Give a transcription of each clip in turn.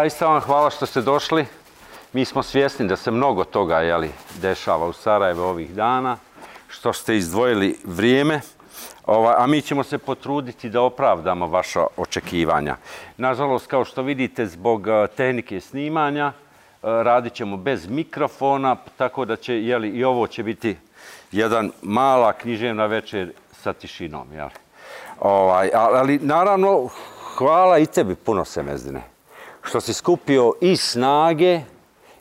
zaista vam hvala što ste došli. Mi smo svjesni da se mnogo toga dešava u Sarajevu ovih dana, što ste izdvojili vrijeme, a mi ćemo se potruditi da opravdamo vaša očekivanja. Nažalost, kao što vidite, zbog tehnike snimanja, radit ćemo bez mikrofona, tako da će, i ovo će biti jedan mala književna večer sa tišinom. Ali naravno, hvala i tebi puno, Semezdine, što si skupio i snage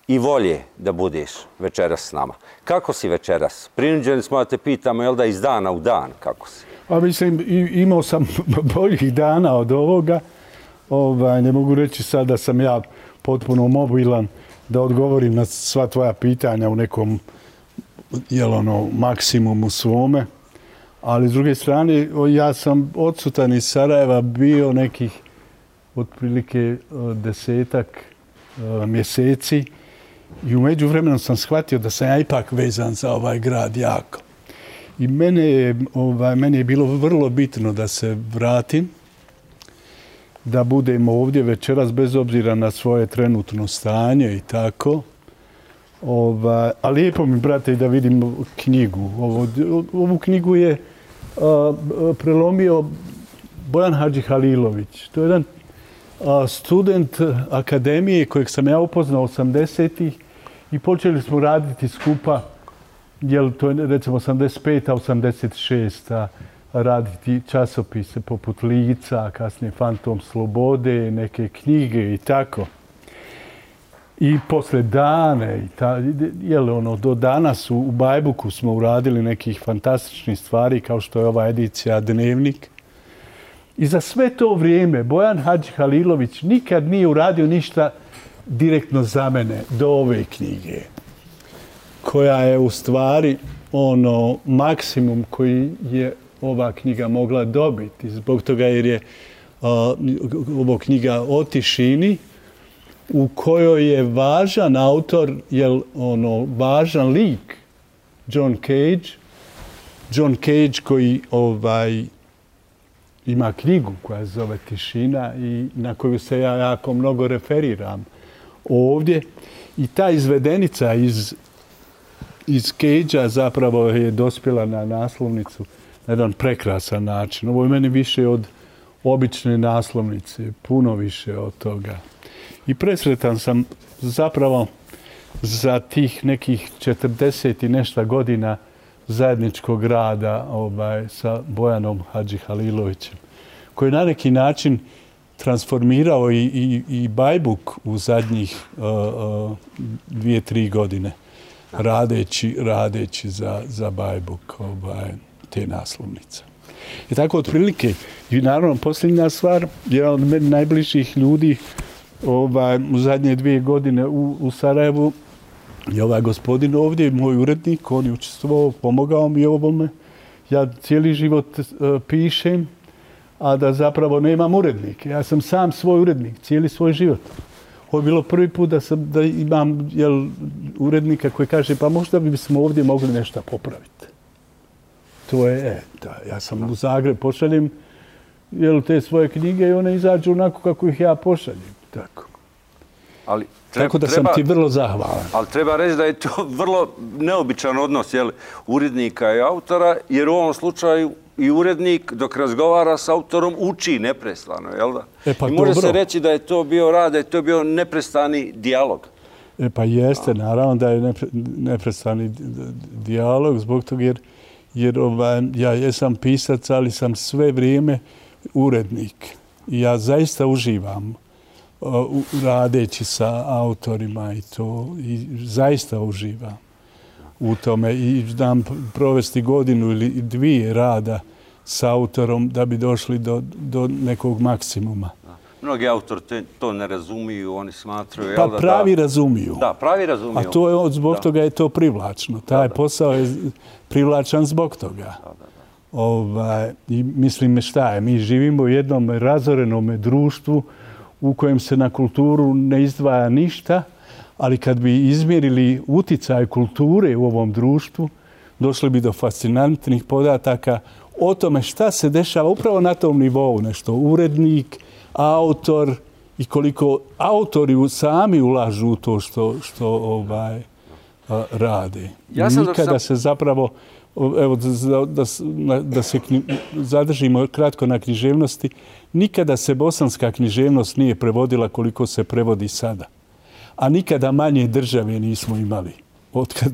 i volje da budeš večeras s nama. Kako si večeras? Prinuđeni smo da te pitamo, iz dana u dan, kako si? Mislim, imao sam boljih dana od ovoga. Ne mogu reći sad da sam ja potpuno mobilan da odgovorim na sva tvoja pitanja u nekom maksimumu svome. Ali s druge strane, ja sam odsutan iz Sarajeva bio nekih otprilike 10-ak mjeseci i u međuvremenu sam shvatio da sam ja ipak vezan za ovaj grad jako. I meni je bilo vrlo bitno da se vratim, da budem ovdje večeras bez obzira na svoje trenutno stanje i tako. A lijepo mi, brate, da vidim knjigu. Ovu knjigu je prelomio Bojan Hadžihalilović. To je jedan student akademije kojeg sam ja upoznao 80-ih i počeli smo raditi skupa, to je recimo 85-a, 86-a, raditi časopise poput Lica, kasnije Fantom slobode, neke knjige i tako. I posle dane, do danas u Bajbuku smo uradili nekih fantastičnih stvari kao što je ova edicija Dnevnik. I za sve to vrijeme Bojan Hadžihalilović nikad nije uradio ništa direktno za mene do ove knjige, koja je u stvari maksimum koji je ova knjiga mogla dobiti. Zbog toga jer je ovo knjiga o tišini, u kojoj je važan autor, važan lik, John Cage. John Cage koji ima knjigu koja se zove Tišina i na koju se ja jako mnogo referiram ovdje. I ta izvedenica iz Cagea zapravo je dospjela na naslovnicu na jedan prekrasan način. Ovo je meni više od obične naslovnice, puno više od toga. I presretan sam zapravo za tih nekih 40 i nešto godina zajedničkog rada sa Bojanom Hadžihalilovićem, koji je na neki način transformirao i Bajbuk u zadnjih 2-3 godine, radeći za Bajbuk te naslovnice. I tako otprilike, i naravno posljednja stvar, jedan od meni najbližih ljudi u zadnje 2 godine u Sarajevu je ovaj gospodin ovdje, moj urednik, on je učestvovao, pomogao mi ovome. Ja cijeli život pišem, a da zapravo nemam urednike. Ja sam sam svoj urednik, cijeli svoj život. Ovo je bilo prvi put da imam urednika koji kaže pa možda bismo ovdje mogli nešto popraviti. To je, ja sam u Zagreb pošaljem te svoje knjige i one izađu onako kako ih ja pošaljem. Tako. Tako da sam ti vrlo zahvalan. Ali treba reći da je to vrlo neobičan odnos urednika i autora, jer u ovom slučaju i urednik dok razgovara s autorom uči neprestano, jel da? I može se reći da je to bio rad, da je to bio neprestani dijalog. Pa jeste, naravno da je neprestani dijalog, zbog toga jer ja jesam pisac, ali sam sve vrijeme urednik. I ja zaista uživam radeći sa autorima i to, i zaista uživam u tome i znam provesti godinu ili 2 rada sa autorom da bi došli do nekog maksimuma. Mnogi autori to ne razumiju, oni smatraju... Pa pravi razumiju. Da, pravi razumiju. A to je, zbog toga je to privlačno. Taj posao je privlačan zbog toga. I mislim šta je, mi živimo u jednom razorenom društvu u kojem se na kulturu ne izdvaja ništa, ali kad bi izmjerili uticaj kulture u ovom društvu, došli bi do fascinantnih podataka o tome šta se dešava upravo na tom nivou. Nešto urednik, autor i koliko autori sami ulažu u to što rade. Nikada se zapravo, evo da se zadržimo kratko na književnosti, nikada se bosanska književnost nije prevodila koliko se prevodi sada. A nikada manje države nismo imali otkad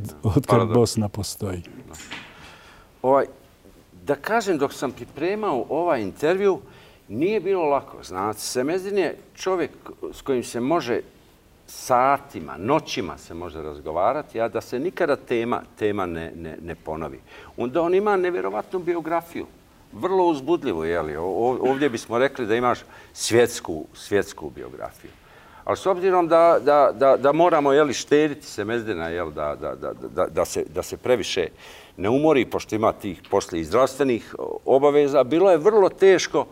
Bosna postoji. Da kažem, dok sam pripremao ovaj intervju, nije bilo lako. Znate, Semezdin je čovjek s kojim se može satima, noćima se može razgovarati, a da se nikada tema ne ponovi. Onda on ima nevjerovatnu biografiju. Vrlo uzbudljivo, jeli? Ovdje bismo rekli da imaš svjetsku biografiju. Ali s obzirom da moramo štediti Semezdina, da se previše ne umori, pošto ima tih poslije i zdravstvenih obaveza, bilo je vrlo teško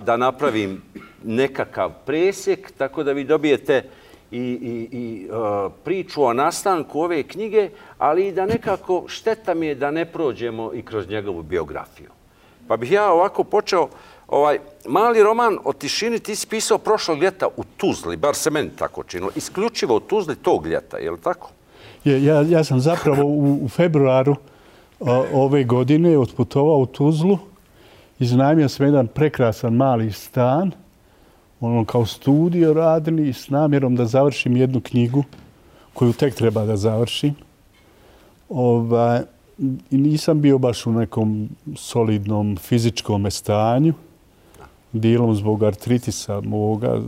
da napravim nekakav presjek, tako da vi dobijete i priču o nastanku ove knjige, ali i da nekako šteta mi je da ne prođemo i kroz njegovu biografiju. Pa bih ja ovako počeo, mali roman o tišini ti si pisao prošlog ljeta u Tuzli, bar se meni tako činilo, isključivo u Tuzli tog ljeta, je li tako? Ja sam zapravo u februaru ove godine otputovao u Tuzlu, iznajmio sam jedan prekrasan mali stan, kao studio radili s namjerom da završim jednu knjigu koju tek treba da završim. I nisam bio baš u nekom solidnom fizičkom stanju, dijelom zbog artritisa moga,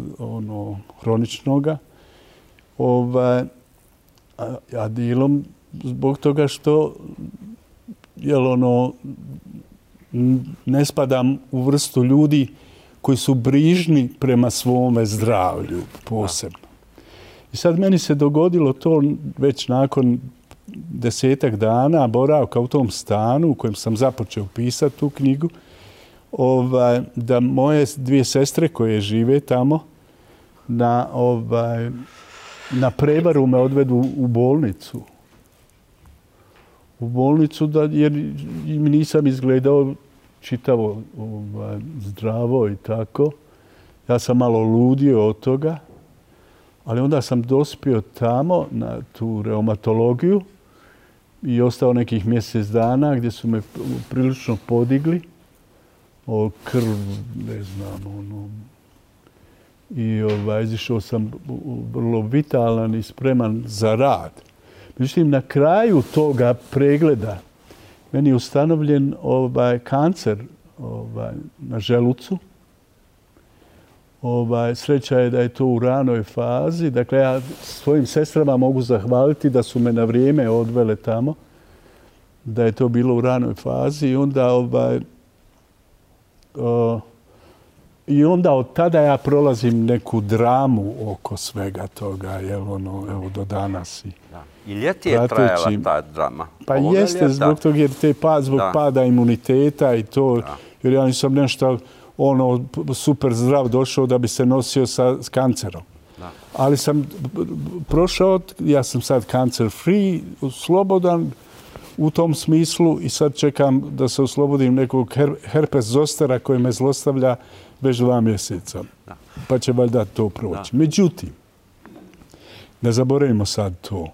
hroničnoga, a dijelom zbog toga što ne spadam u vrstu ljudi koji su brižni prema svome zdravlju posebno. I sad meni se dogodilo to već nakon 10 dana boravka u tom stanu u kojem sam započeo pisati tu knjigu, da moje 2 sestre koje žive tamo na prevaru me odvedu u bolnicu. U bolnicu jer nisam izgledao čitavo zdravo i tako. Ja sam malo ludio od toga, ali onda sam dospio tamo na tu reumatologiju i ostao nekih mjesec dana gdje su me prilično podigli. Krv, ne znam, I izišao sam vrlo vitalan i spreman za rad. Međutim, na kraju toga pregleda meni je ustanovljen kancer na želucu. Sreća je da je to u ranoj fazi. Dakle, ja svojim sestrama mogu zahvaliti da su me na vrijeme odvele tamo, da je to bilo u ranoj fazi i onda od tada ja prolazim neku dramu oko svega toga, evo do danas. I ljeti je trajala ta drama? Pa jeste, zbog toga jer zbog pada imuniteta i to, jer ja nisam nešto super zdrav došao da bi se nosio sa kancerom. Ali sam prošao, ja sam sad cancer free, slobodan u tom smislu i sad čekam da se oslobodim nekog herpes zostera koji me zlostavlja već 2 mjeseca. Pa će valjda to proći. Međutim, ne zaboravimo sad to.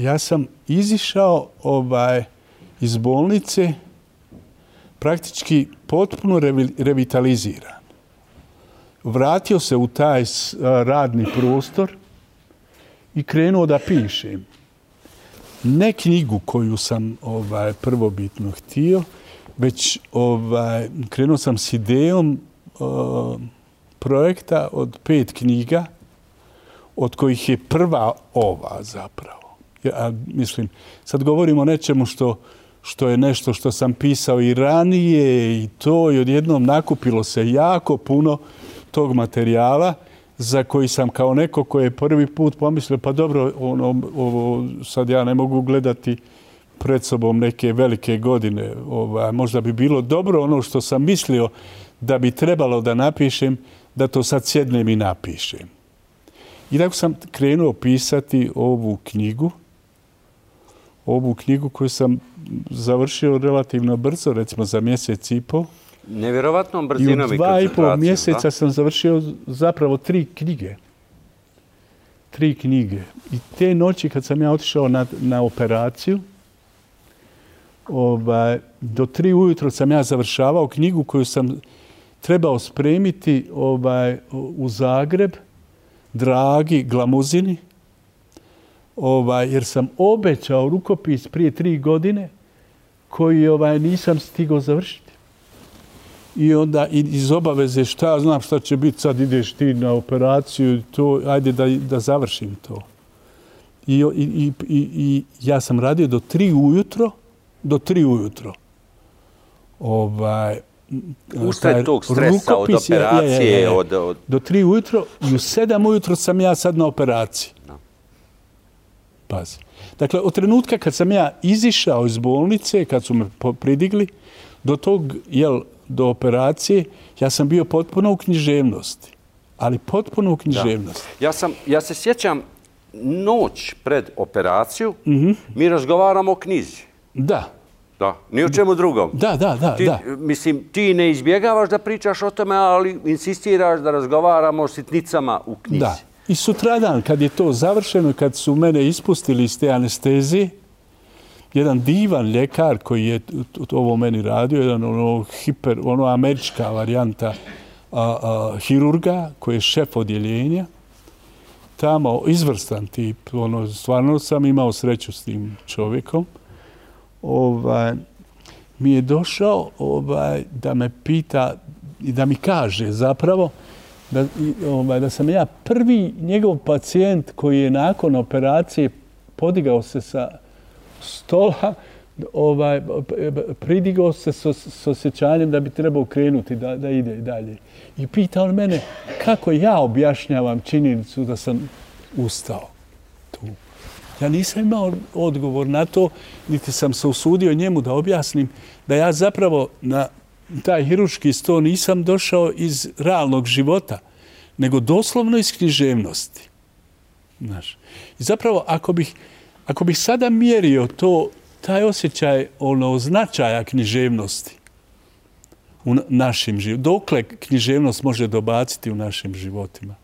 Ja sam izišao iz bolnice praktički potpuno revitaliziran. Vratio se u taj radni prostor i krenuo da pišem. Ne knjigu koju sam prvobitno htio, već krenuo sam s idejom projekta od 5 knjiga, od kojih je prva ova zapravo. Ja mislim, sad govorimo o nečemu što je nešto što sam pisao i ranije i to i odjednom nakupilo se jako puno tog materijala za koji sam kao neko koji je prvi put pomislio pa dobro, sad ja ne mogu gledati pred sobom neke velike godine. Možda bi bilo dobro ono što sam mislio da bi trebalo da napišem, da to sad sjednem i napišem. I tako sam krenuo pisati ovu knjigu koju sam završio relativno brzo, recimo za 1,5 mjeseca. Nevjerovatnom brzinom i koncentracijom. I u 2,5 mjeseca sam završio zapravo 3 knjige. 3 knjige. I te noći kad sam ja otišao na operaciju, do 3 ujutro sam ja završavao knjigu koju sam trebao spremiti u Zagreb, Dragi Glamuzini, jer sam obećao rukopis prije 3 godine koji nisam stigao završiti. I onda iz obaveze šta ja znam šta će biti, sad ideš ti na operaciju, to, ajde da završim to. I ja sam radio do 3 ujutro, usred tog stresa od operacije. Do 3 ujutro i u 7 ujutro sam ja sad na operaciji. Pazi. Dakle, od trenutka kad sam ja izišao iz bolnice, kad su me pridigli, do operacije, ja sam bio potpuno u književnosti. Ali potpuno u književnosti. Ja se sjećam noć pred operaciju, mi razgovaramo o knjizi. Da. Da, ni o čemu drugom. Da. Mislim, ti ne izbjegavaš da pričaš o tome, ali insistiraš da razgovaramo o sitnicama u knjizi. Da. I sutradan, kad je to završeno, kad su mene ispustili iz te anestezije, jedan divan ljekar koji je ovo meni radio, jedan američka varijanta hirurga, koji je šef odjeljenja, tamo izvrstan tip, stvarno sam imao sreću s tim čovjekom, mi je došao da me pita i da mi kaže zapravo da sam ja prvi njegov pacijent koji je nakon operacije podigao se sa stola, pridigao se s osjećanjem da bi trebao krenuti, da ide dalje. I pita on mene kako ja objašnjavam činjenicu da sam ustao tu. Ja nisam imao odgovor na to, niti sam se usudio njemu da objasnim da ja zapravo na taj hirurški sto nisam došao iz realnog života, nego doslovno iz književnosti. Znaš. I zapravo, ako bih sada mjerio taj osjećaj značaja književnosti u našim životima, dokle književnost može dobaciti u našim životima.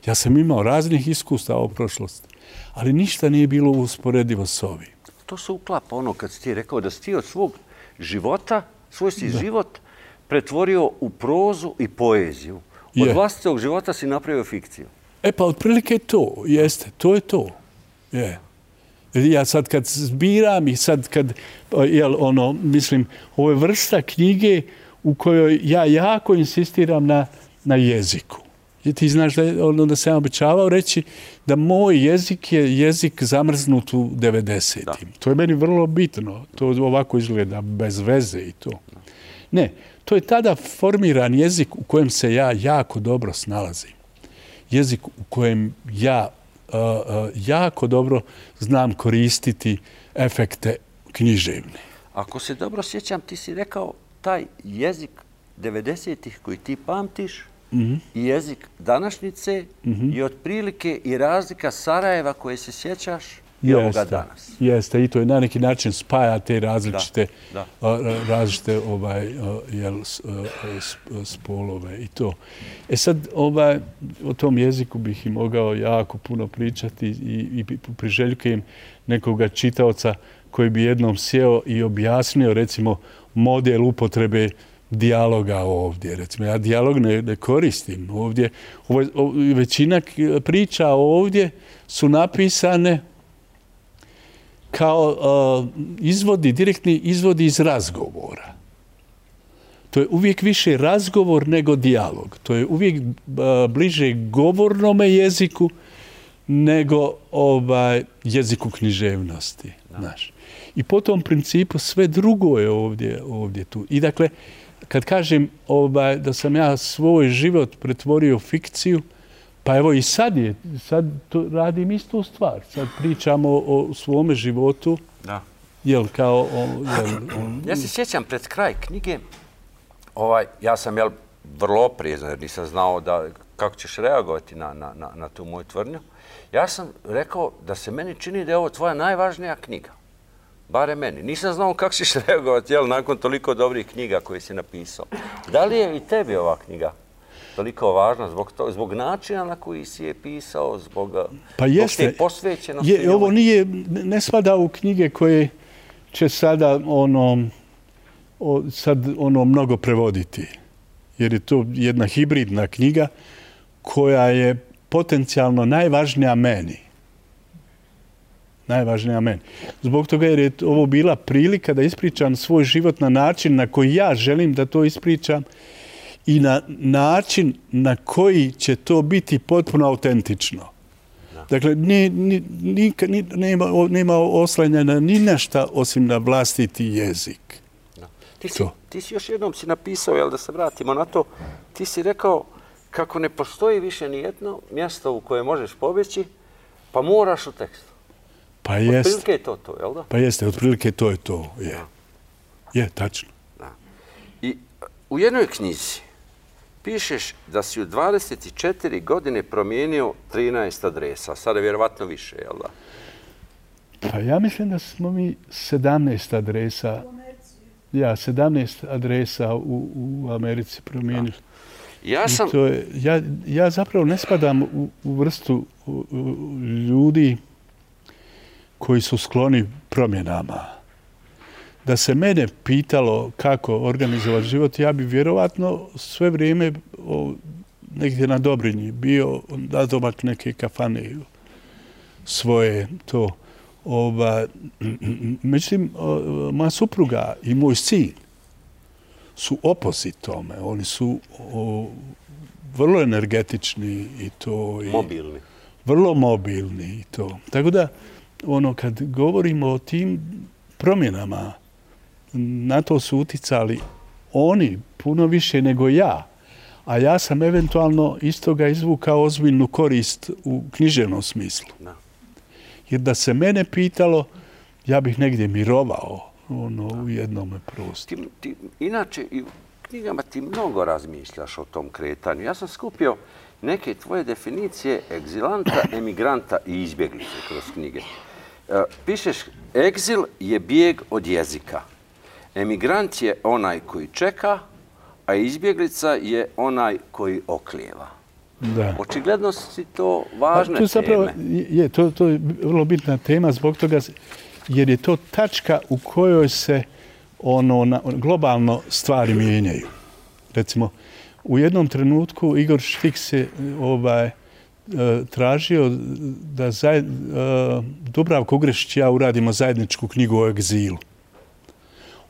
Ja sam imao raznih iskustava u prošlosti, ali ništa nije bilo usporedivo s ovim. To se uklapa kad si ti rekao da si ti od svog života, svoj si život pretvorio u prozu i poeziju. Od vlastitog života si napravio fikciju. Pa otprilike to, jeste, to je to. Ja sad kad zbiram i sad kad, mislim, ovo je vrsta knjige u kojoj ja jako insistiram na jeziku. I ti znaš da sam obećavao reći da moj jezik je jezik zamrznut u 90-im. To je meni vrlo bitno. To ovako izgleda bez veze i to. Ne, to je tada formiran jezik u kojem se ja jako dobro snalazim. Jezik u kojem ja jako dobro znam koristiti efekte književne. Ako se dobro sjećam, ti si rekao taj jezik 90-ih koji ti pamtiš i jezik današnjice i otprilike i razlika Sarajeva koje se sjećaš i ovoga danas. Jeste, i to je na neki način spaja te različite spolove i to. Sad, o tom jeziku bih i mogao jako puno pričati i priželjkujem nekoga čitaoca koji bi jednom sjeo i objasnio, recimo, model upotrebe dijaloga ovdje. Recimo, ja dijalog ne koristim ovdje. Većina priča ovdje su napisane kao direktni izvodi iz razgovora. To je uvijek više razgovor nego dijalog. To je uvijek bliže govornome jeziku nego jeziku književnosti. Znaš. I po tom principu sve drugo je ovdje tu. I dakle, kad kažem da sam ja svoj život pretvorio u fikciju, pa evo i sad radim istu stvar. Sad pričamo o svome životu. Da. Ja se sjećam pred kraj knjige, ja sam vrlo oprezan jer nisam znao kako ćeš reagovati na tu moju tvrdnju. Ja sam rekao da se meni čini da je ovo tvoja najvažnija knjiga. Bare meni. Nisam znao kako ćeš reagovati, jel, nakon toliko dobrih knjiga koje si napisao. Da li je i tebi ova knjiga toliko važna zbog načina na koji si je pisao, zbog te posvećenosti? Ovo ne spada u knjige koje će sada mnogo prevoditi. Jer je to jedna hibridna knjiga koja je potencijalno najvažnija meni. Najvažnija meni. Zbog toga jer je ovo bila prilika da ispričam svoj život na način na koji ja želim da to ispričam i na način na koji će to biti potpuno autentično. Dakle, nema oslanjanja ni našta osim na vlastiti jezik. Ti si još jednom si napisao, da se vratimo na to, ti si rekao kako ne postoji više ni jedno mjesto u koje možeš pobjeći, pa moraš u tekstu. Pa jeste. Otprilike je to, jel da? Pa jeste, otprilike to je to, je. Je, tačno. I u jednoj knjizi pišeš da si u 24 godine promijenio 13 adresa, sada je vjerovatno više, jel da? Pa ja mislim da smo mi 17 adresa, 17 adresa u Americi promijenili. Ja zapravo ne spadam u vrstu ljudi koji su skloni promjenama. Da se mene pitalo kako organizovati život, ja bi vjerovatno sve vrijeme negdje na Dobrinji bio nadomak neke kafane svoje to. Međutim, moja supruga i moj sin su opozit tome. Oni su vrlo energetični i to. Mobilni. Vrlo mobilni i to. Tako da, kad govorimo o tim promjenama, na to su uticali oni puno više nego ja. A ja sam eventualno iz toga izvukao ozbiljnu korist u književnom smislu. Jer da se mene pitalo, ja bih negdje mirovao u jednom prostoru. Inače, i u knjigama ti mnogo razmišljaš o tom kretanju. Ja sam skupio neke tvoje definicije egzilanta, emigranta i izbjeglice kroz knjige. Pišeš, egzil je bijeg od jezika. Emigrant je onaj koji čeka, a izbjeglica je onaj koji oklijeva. Da. Očigledno si to važne teme. To je vrlo bitna tema zbog toga jer je to tačka u kojoj se globalno stvari mijenjaju. Recimo, u jednom trenutku Igor Švik se tražio da Dubravka Ugrešić i ja uradimo zajedničku knjigu o egzilu.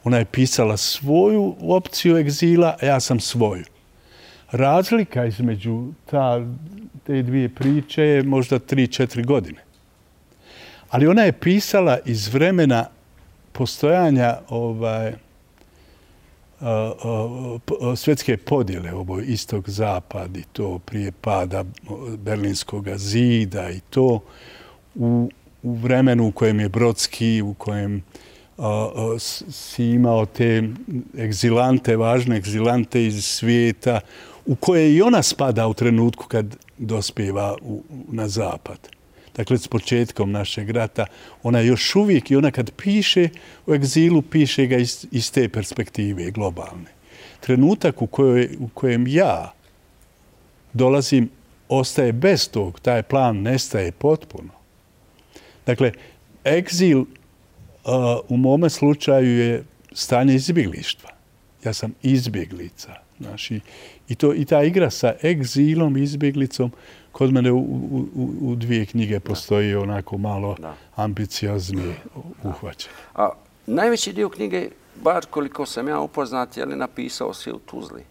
Ona je pisala svoju opciju egzila, a ja sam svoju. Razlika između te dvije priče je možda 3-4 godine. Ali ona je pisala iz vremena postojanja svjetske podjele, istok-zapad i to prije pada Berlinskog zida i to u vremenu u kojem je Brodski, u kojem si imao te egzilante, važne egzilante iz svijeta, u koje i ona spada u trenutku kad dospijeva na zapad. Dakle, s početkom našeg rata, ona još uvijek, i ona kad piše o egzilu, piše ga iz te perspektive globalne. Trenutak u kojem ja dolazim, ostaje bez tog, taj plan nestaje potpuno. Dakle, egzil u mome slučaju je stanje izbjeglištva. Ja sam izbjeglica. I ta igra sa egzilom i izbjeglicom kod mene u dvije knjige postoji onako malo ambicioznije uhvaćanje. A najveći dio knjige, bar koliko sam ja upoznat, je li napisao si u Tuzli?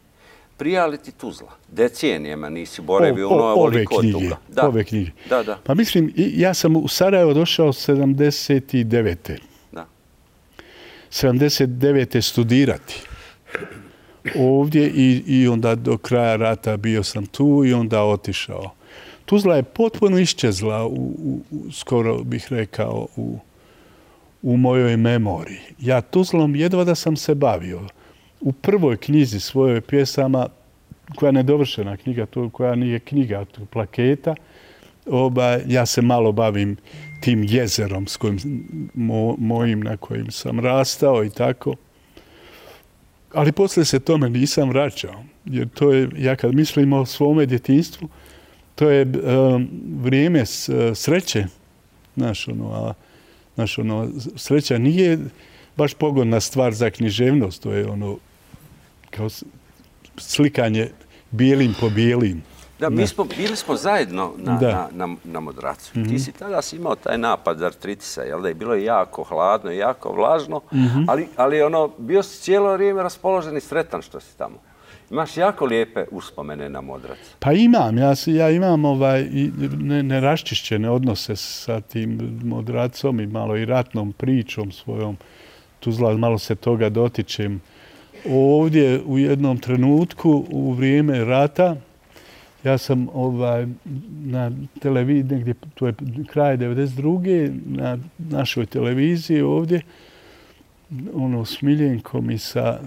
Prija li ti Tuzla? Decenijama nisi boravio ovoliko od toga. Ove knjige. Da. Pa mislim, ja sam u Sarajevo došao 79. 79. studirati ovdje i onda do kraja rata bio sam tu i onda otišao. Tuzla je potpuno iščezla, skoro bih rekao, u mojoj memoriji. Ja Tuzlom jedva da sam se bavio. U prvoj knjizi svojoj pjesama, koja je nedovršena knjiga, koja nije knjiga, plaketa, ja se malo bavim tim jezerom s kojim, mojim na kojim sam rastao i tako. Ali poslije se tome nisam vraćao. Jer to je, ja kad mislim o svome djetinjstvu, to je vrijeme sreće. Sreća nije baš pogodna stvar za književnost. To je kao slikanje bijelim po bijelim. Da, bili smo zajedno na Modracu. Ti si tada imao taj napad artritisa, jel da je bilo jako hladno i jako vlažno, ali bio si cijelo vrijeme raspoložen i sretan što si tamo. Imaš jako lijepe uspomene na Modrac. Pa imam, ja imam neraščišćene odnose sa tim Modracom i malo i ratnom pričom svojom. Tuzla, malo se toga dotičem. Ovdje u jednom trenutku u vrijeme rata ja sam na televiziji, negdje, to je kraj 92. na našoj televiziji ovdje, s Miljenkom i sa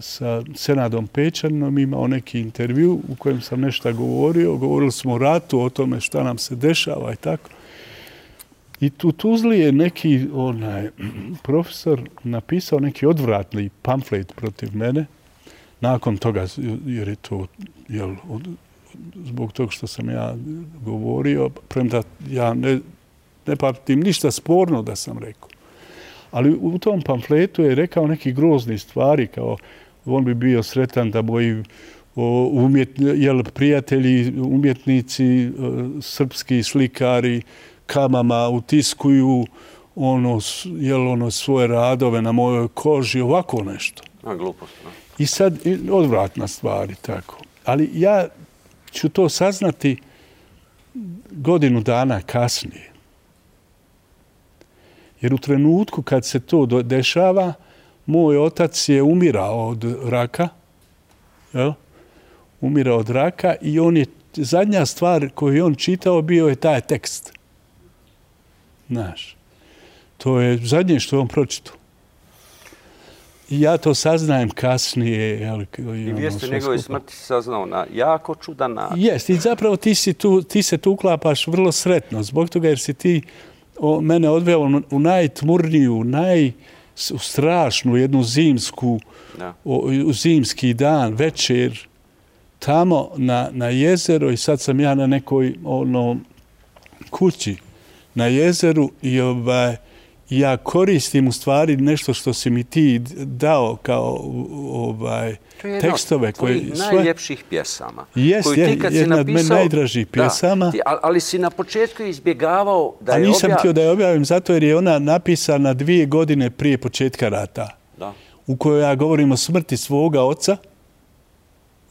Senadom Pečaninom imao neki intervju u kojem sam nešto govorio. Govorili smo o ratu, o tome šta nam se dešava i tako. I u Tuzli je neki profesor napisao neki odvratni pamflet protiv mene. Nakon toga, jer je to, zbog toga što sam ja govorio, premda ja ne pamtim ništa sporno da sam rekao. Ali u tom pamfletu je rekao neki grozni stvari, kao on bi bio sretan da moji prijatelji, umjetnici, srpski slikari, kamama utiskuju svoje radove na mojoj koži, ovako nešto. Glupost. I sad, odvratna stvari, tako. Ali ja ću to saznati godinu dana kasnije. Jer u trenutku kad se to dešava, moj otac je umirao od raka. Umirao od raka i zadnja stvar koju on čitao bio je taj tekst. Znaš, to je zadnje što je on pročitao. I ja to saznajem kasnije. I vijest o njegove smrti saznao na jako čudan način. Jest, i zapravo ti se tu uklapaš vrlo sretno. Zbog toga jer si ti mene odveo u najtmurniju, strašnu jednu zimski dan, večer, tamo na jezero i sad sam ja na nekoj kući na jezeru i ja koristim u stvari nešto što si mi ti dao kao tekstove. To je jedna od najljepših pjesama. Jest, jedna od meni najdražih pjesama. Ali si na početku izbjegavao da je objavim. A nisam htio da je objavim zato jer je ona napisana 2 godine prije početka rata. U kojoj ja govorim o smrti svoga oca.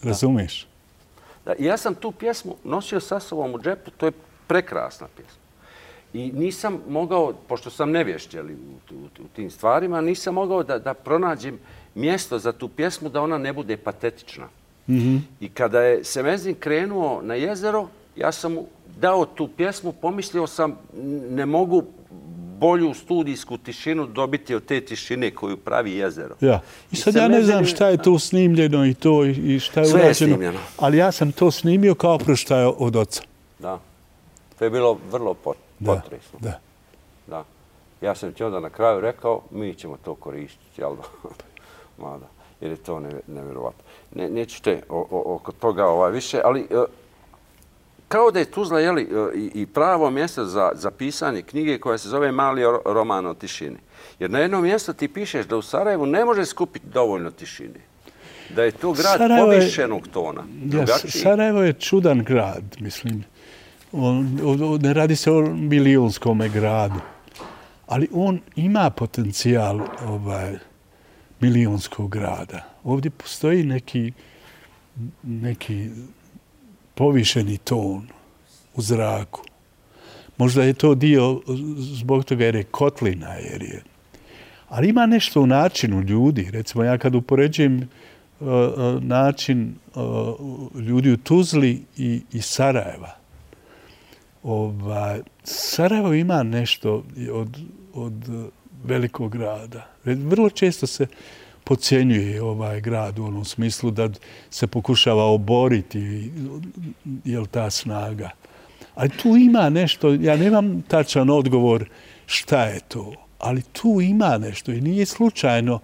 Razumiješ? Ja sam tu pjesmu nosio sa sobom u džepu. To je prekrasna pjesma. I nisam mogao, pošto sam nevješć u tim stvarima, nisam mogao da pronađem mjesto za tu pjesmu da ona ne bude patetična. I kada je Semezin krenuo na jezero, ja sam mu dao tu pjesmu, pomislio sam ne mogu bolju studijsku tišinu dobiti od te tišine koju pravi jezero. I sad ja ne znam šta je tu snimljeno i to i šta je urađeno. Sve je snimljeno. Ali ja sam to snimio kao oproštaj od oca. Da. To je bilo vrlo potresno. Da. Ja sam ti onda na kraju rekao, mi ćemo to koristiti, jel da? Mada, jer je to nevjerovatno. Neću te oko toga više, ali kao da je Tuzla i pravo mjesto za pisanje knjige koja se zove Mali roman o tišini. Jer na jednom mjestu ti pišeš da u Sarajevu ne može skupiti dovoljno tišine. Da je to grad povišenog tona. Sarajevo je čudan grad, mislim. Ne radi se o milionskom gradu, ali on ima potencijal milionskog grada. Ovdje postoji neki povišeni ton u zraku. Možda je to dio zbog toga jer je kotlina. Ali ima nešto u načinu ljudi. Recimo, ja kad upoređujem način ljudi u Tuzli i Sarajeva, Sarajevo ima nešto od velikog grada. Vrlo često se podcjenjuje ovaj grad u onom smislu da se pokušava oboriti ta snaga. Ali tu ima nešto, ja nemam tačan odgovor šta je to, ali tu ima nešto i nije slučajno,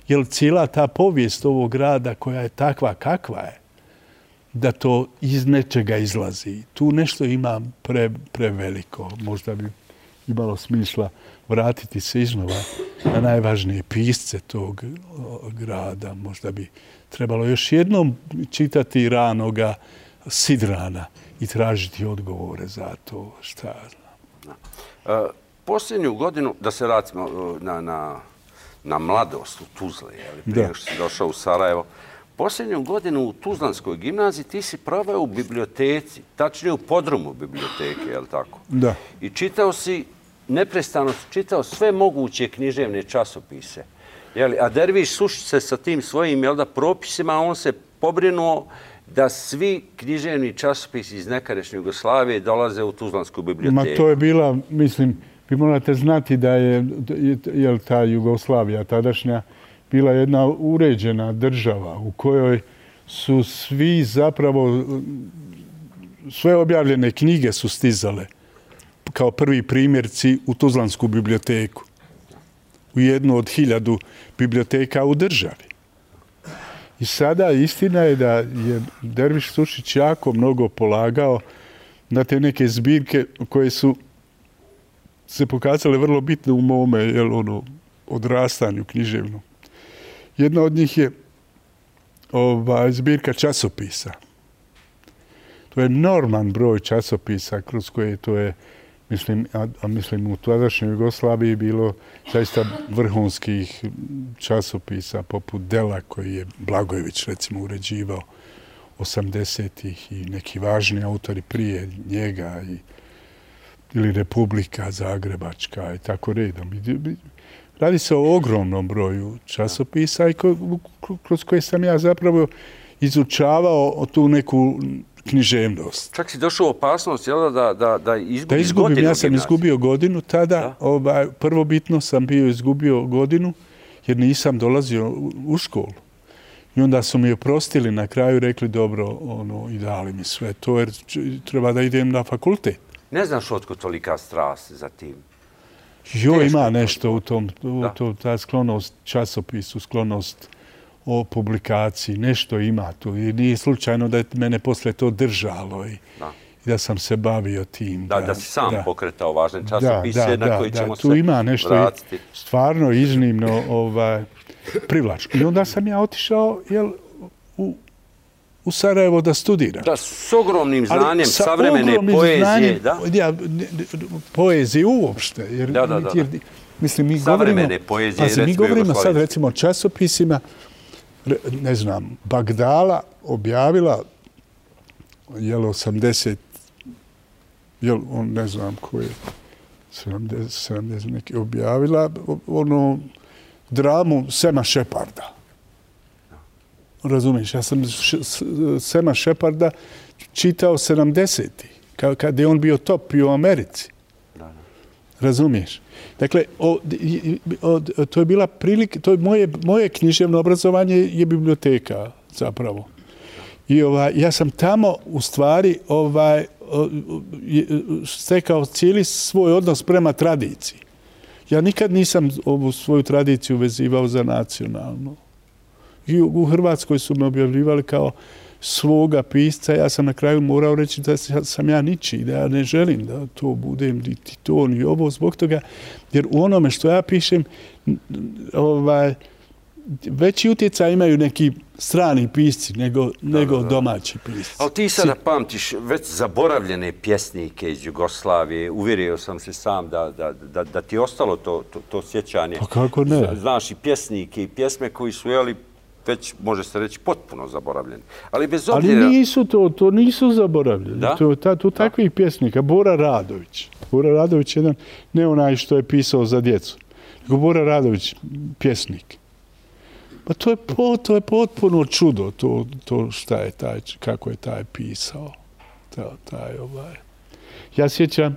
jer cijela ta povijest ovog grada koja je takva kakva je, da to iz nečega izlazi. Tu nešto ima preveliko. Možda bi imalo smisla vratiti se iznova na najvažnije pisce tog grada. Možda bi trebalo još jednom čitati ranoga Sidrana i tražiti odgovore za to šta ja znam. Posljednju godinu, da se vratimo na mladost u Tuzli, prije što si došao u Sarajevo, posljednju godinu u Tuzlanskoj gimnaziji ti si proveo u biblioteci, tačnije u podrumu biblioteke, je li tako? Da. I čitao si, neprestano si čitao sve moguće književne časopise. A Derviš Sušić se sa tim svojim propisima, on se pobrinuo da svi književni časopisi iz nekadašnje Jugoslavije dolaze u Tuzlansku biblioteku. Ma to je bila, mislim, vi morate znati da je ta Jugoslavija tadašnja bila jedna uređena država u kojoj su svi zapravo, sve objavljene knjige su stizale kao prvi primjerci u Tuzlansku biblioteku. U jednu od 1000 biblioteka u državi. I sada istina je da je Derviš Sušić jako mnogo polagao na te neke zbirke koje su se pokazale vrlo bitne u mome odrastanju književnom. Jedna od njih je zbirka časopisa. To je enorman broj časopisa kroz koje to je, mislim u tadašnjoj Jugoslaviji bilo zaista vrhunskih časopisa poput Dela koji je Blagojević recimo uređivao 80-ih i neki važni autori prije njega ili Republika Zagrebačka i tako redom. Radi se o ogromnom broju časopisa i kroz koje sam ja zapravo izučavao tu neku književnost. Čak si došao u opasnost, jel da izgubiš godinu? Ja sam izgubio godinu tada. Prvobitno sam bio izgubio godinu jer nisam dolazio u školu. I onda su mi oprostili na kraju, rekli dobro, i dali mi sve to jer treba da idem na fakultet. Ne znaš otkud tolika strast za tim? Ima nešto u tom, ta sklonost časopisu, sklonost o publikaciji, nešto ima tu. I nije slučajno da je mene posle to držalo i da sam se bavio tim. Da si sam pokretao važne časopise na koji ćemo se tu ima nešto stvarno iznimno privlačno. I onda sam ja otišao u Sarajevo da studiram. Da, s ogromnim znanjem savremene poezije. Poezije uopšte. Mislim, mi govorimo sad recimo o časopisima. Ne znam, Bagdala objavila 80, ne znam ko je, 70 neki, objavila dramu Sema Šeparda. Razumiješ, ja sam Sema Šeparda čitao 70-ih, kada je on bio top i u Americi. Razumiješ? Dakle, to je bila prilika, to je moje književno obrazovanje je biblioteka zapravo. I ja sam tamo u stvari stekao cijeli svoj odnos prema tradiciji. Ja nikad nisam ovu svoju tradiciju vezivao za nacionalnu. I u Hrvatskoj su me objavljivali kao svoga pisca. Ja sam na kraju morao reći da sam ja ničiji, da ja ne želim da to budem niti to, ni ovo, zbog toga. Jer u onome što ja pišem, veći utjecaj imaju neki strani pisci nego domaći pisci. Ali ti sada pamtiš već zaboravljene pjesnike iz Jugoslavije. Uvjerio sam se sam da ti je ostalo to sjećanje. Pa kako ne? Znaš i pjesnike i pjesme koji su, već može se reći potpuno zaboravljeni. Ali bez obzira... Ali nisu to nisu zaboravljeni. Tu takvih pjesnika. Bora Radović. Bora Radović je jedan, ne onaj što je pisao za djecu, nego Bora Radović, pjesnik. Pa to je potpuno čudo, to šta je taj, kako je taj pisao. Ja sjećam,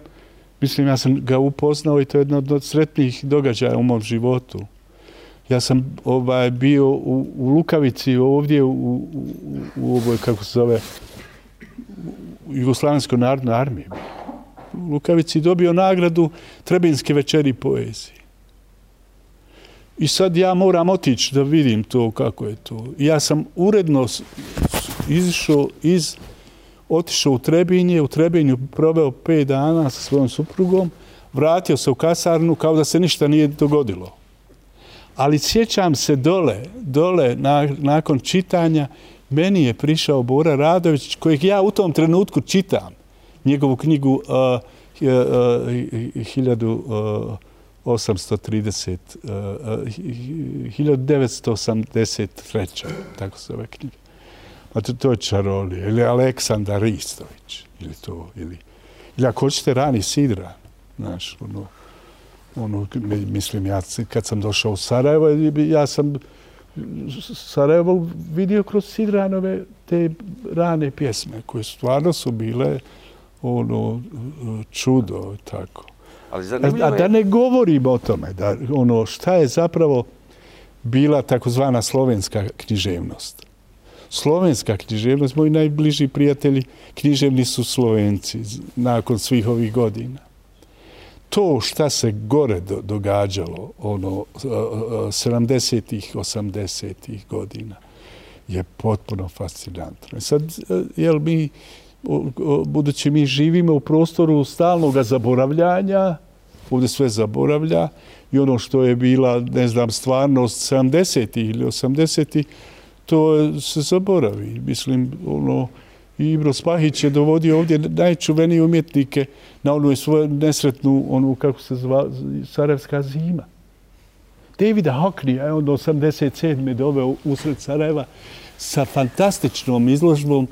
mislim, ja sam ga upoznao i to je jedno od sretnijih događaja u mom životu. Ja sam bio u Lukavici ovdje u ovoj, kako se zove, Jugoslavenskoj narodnoj armiji. Lukavici dobio nagradu Trebinske večeri poezije. I sad ja moram otići da vidim to kako je to. Ja sam uredno otišao u Trebinje, u Trebinju proveo 5 dana sa svojom suprugom, vratio se u kasarnu kao da se ništa nije dogodilo. Ali sjećam se dole nakon čitanja, meni je prišao Bora Radović, kojeg ja u tom trenutku čitam, njegovu knjigu 1983. Tako se ove knjige. To je Čarolija, ili Aleksandar Ristović, ili ako hoćete Rani Sidran, znaš, mislim, ja kad sam došao u Sarajevo, ja sam Sarajevo vidio kroz Sidranove te rane pjesme, koje stvarno su bile čudo, tako. A da ne govorimo o tome, da šta je zapravo bila takozvana slovenska književnost. Slovenska književnost, moji najbliži prijatelji književni su Slovenci nakon svih ovih godina. To šta se gore događalo 70-ih, 80-ih godina je potpuno fascinantno. Sad, budući mi živimo u prostoru stalnog zaboravljanja, ovdje sve zaboravlja i ono što je bila, ne znam, stvarnost 70-ih ili 80-ih, to se zaboravi. Mislim, Ibro Spahić je dovodio ovdje najčuvenije umjetnike na onu svoju nesretnu, kako se zva, Sarajevska zima. Davida Hockneya je onda 87. doveo usred Sarajeva sa fantastičnom izložbom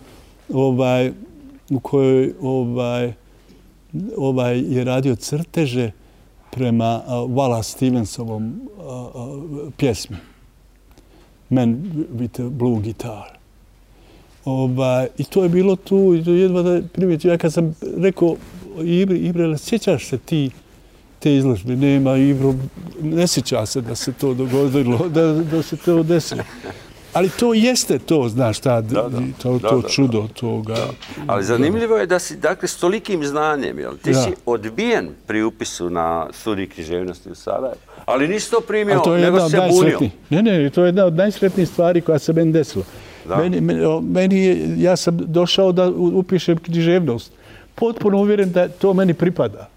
u kojoj je radio crteže prema Wallace Stevensovom pjesmi Man with a Blue Guitar. I to je bilo tu, i to jedva da primijetio. Ja kad sam rekao Ibre, sjećaš se ti te izložbe? Nema, Ibro, ne sjeća se da se to dogodilo, da se to desilo. Ali to jeste to, znaš, to čudo toga. Ali zanimljivo je da si, dakle, s tolikim znanjem, ti si odbijen pri upisu na studij književnosti u Sarajevu, ali nisi to primio, nego se bunio. Ne, to je jedna od najsretnijih stvari koja se meni desila. Ja sam došao da upišem književnost. Potpuno uvjeren da to meni pripada.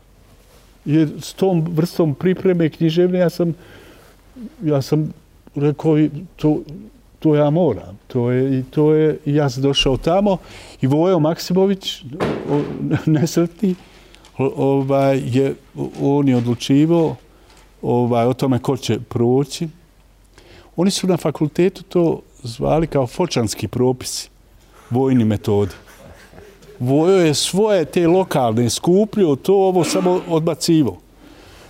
Jer s tom vrstom pripreme književne ja sam rekao to ja moram. I ja sam došao tamo i Vojo Maksimović, nesretni, on je odlučivao o tome ko će proći. Oni su na fakultetu to zvali kao fočanski propisi, vojni metodi. Vojo je svoje te lokalne skupljio, ovo samo odbacivo.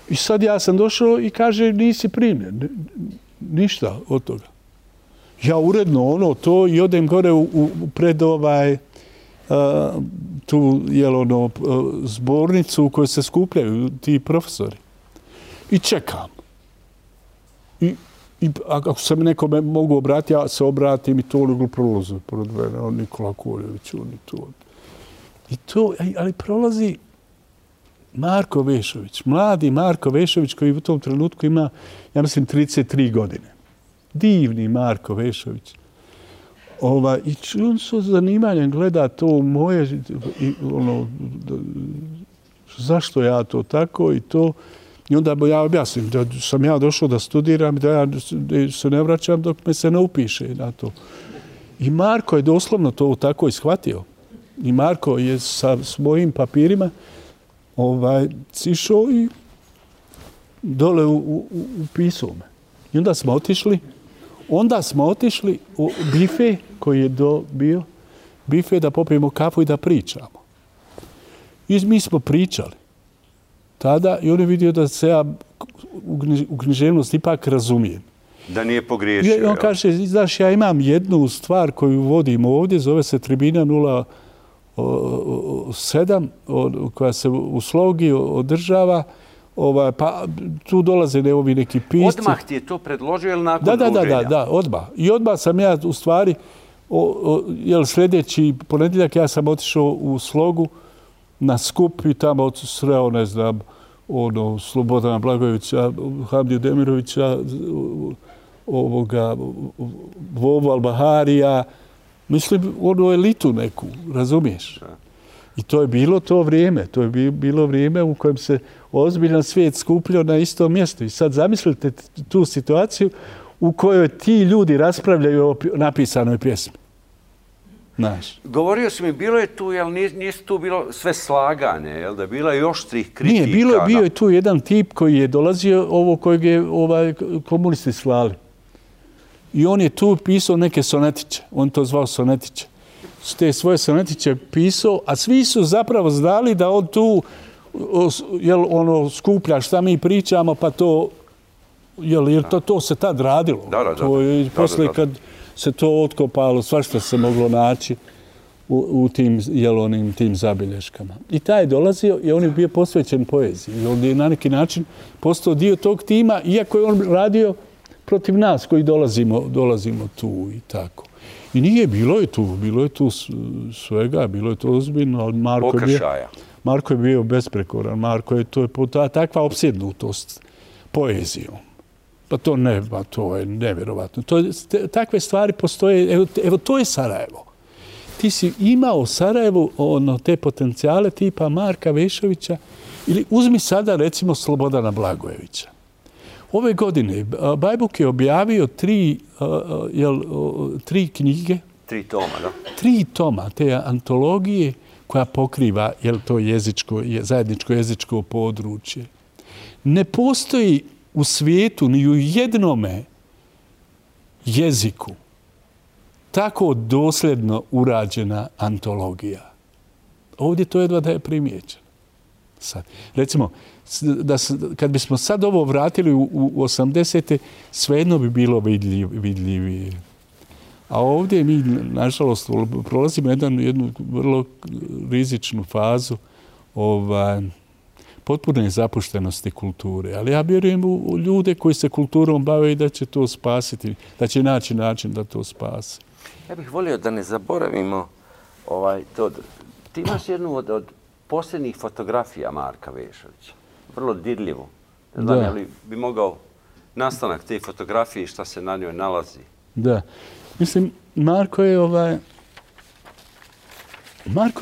I sad ja sam došao i kaže nisi primljen. Ništa od toga. Ja uredno to i odem gore pred tu zbornicu u kojoj se skupljaju ti profesori. I čekam. I ako se mi nekome mogu obratiti, ja se obratim i to prolazi pored mene, Nikola Koljević, I to, ali prolazi Marko Vešović, mladi Marko Vešović koji u tom trenutku ima, ja mislim, 33 godine. Divni Marko Vešović. I on sa zanimanjem gleda to moje, zašto ja to tako i to. I onda ja objasnim da sam ja došao da studiram, da ja se ne vraćam dok me se ne upiše na to. I Marko je doslovno to tako ishvatio. I Marko je sa svojim papirima sišao i dole upisao me. I onda smo otišli u bife koji je bio bife da popijemo kafu i da pričamo. I mi smo pričali tada i on je vidio da se ja u književnost ipak razumijem. Da nije pogriješio. I on kaže, znaš, ja imam jednu stvar koju vodim ovdje, zove se Tribina 07, koja se u Slogi održava, pa tu dolaze ovi neki pisci. Odmah ti je to predložio ili nakon druženja? Da, odmah. I odmah sam ja u stvari, sljedeći ponedjeljak ja sam otišao u Slogu na skup i tamo sreo, ne znam, Slobodana Blagojevića, Hamdiju Demirovića, Vovu Al-Baharija, mislim, elitu neku, razumiješ? I to je bilo to vrijeme. To je bilo vrijeme u kojem se ozbiljan svijet skupljao na istom mjestu. I sad zamislite tu situaciju u kojoj ti ljudi raspravljaju o napisanoj pjesmi. Znaš. Govorio si mi, bilo je tu, jel nije tu bilo sve slaganje, jel da je bila i oštrih kritika? Nije, bio je tu jedan tip koji je dolazio, kojeg je komunisti slali. I on je tu pisao neke sonetiće. On to zvao sonetiće. Te svoje sonetiće pisao, a svi su zapravo znali da on tu skuplja šta mi pričamo, pa to, jer to se tad radilo. Poslije kad se to otkopalo, svašta se moglo naći u tim zabilješkama. I taj je dolazio i on je bio posvećen poeziji. On je na neki način postao dio tog tima, iako je on radio protiv nas koji dolazimo tu i tako. I nije, bilo je tu svega, bilo je to ozbiljno, ali Marko je bio besprekoran. To je takva opsjednutost poezijom. Pa to je nevjerovatno. Takve stvari postoje, evo to je Sarajevo. Ti si imao Sarajevu te potencijale tipa Marka Vešovića ili uzmi sada recimo Slobodana Blagojevića. Ove godine Bajbuk je objavio 3 knjige. 3 toma, da? 3 toma te antologije koja pokriva to zajedničko jezičko područje. Ne postoji u svijetu ni u jednome jeziku tako dosljedno urađena antologija. Ovdje to jedva da je primijećeno. Sad, recimo, kad bismo sad ovo vratili u 80. svejedno bi bilo vidljivije. A ovdje mi, nažalost, prolazimo jednu vrlo rizičnu fazu potpune zapuštenosti kulture. Ali ja vjerujem u ljude koji se kulturom bave i da će to spasiti, da će naći način da to spase. Ja bih volio da ne zaboravimo to. Ti imaš jednu od posljednjih fotografija Marka Vešovića. Vrlo dirljivo. Ne znam, je li bi mogao nastanak te fotografije i šta se na njoj nalazi? Da. Mislim, Marko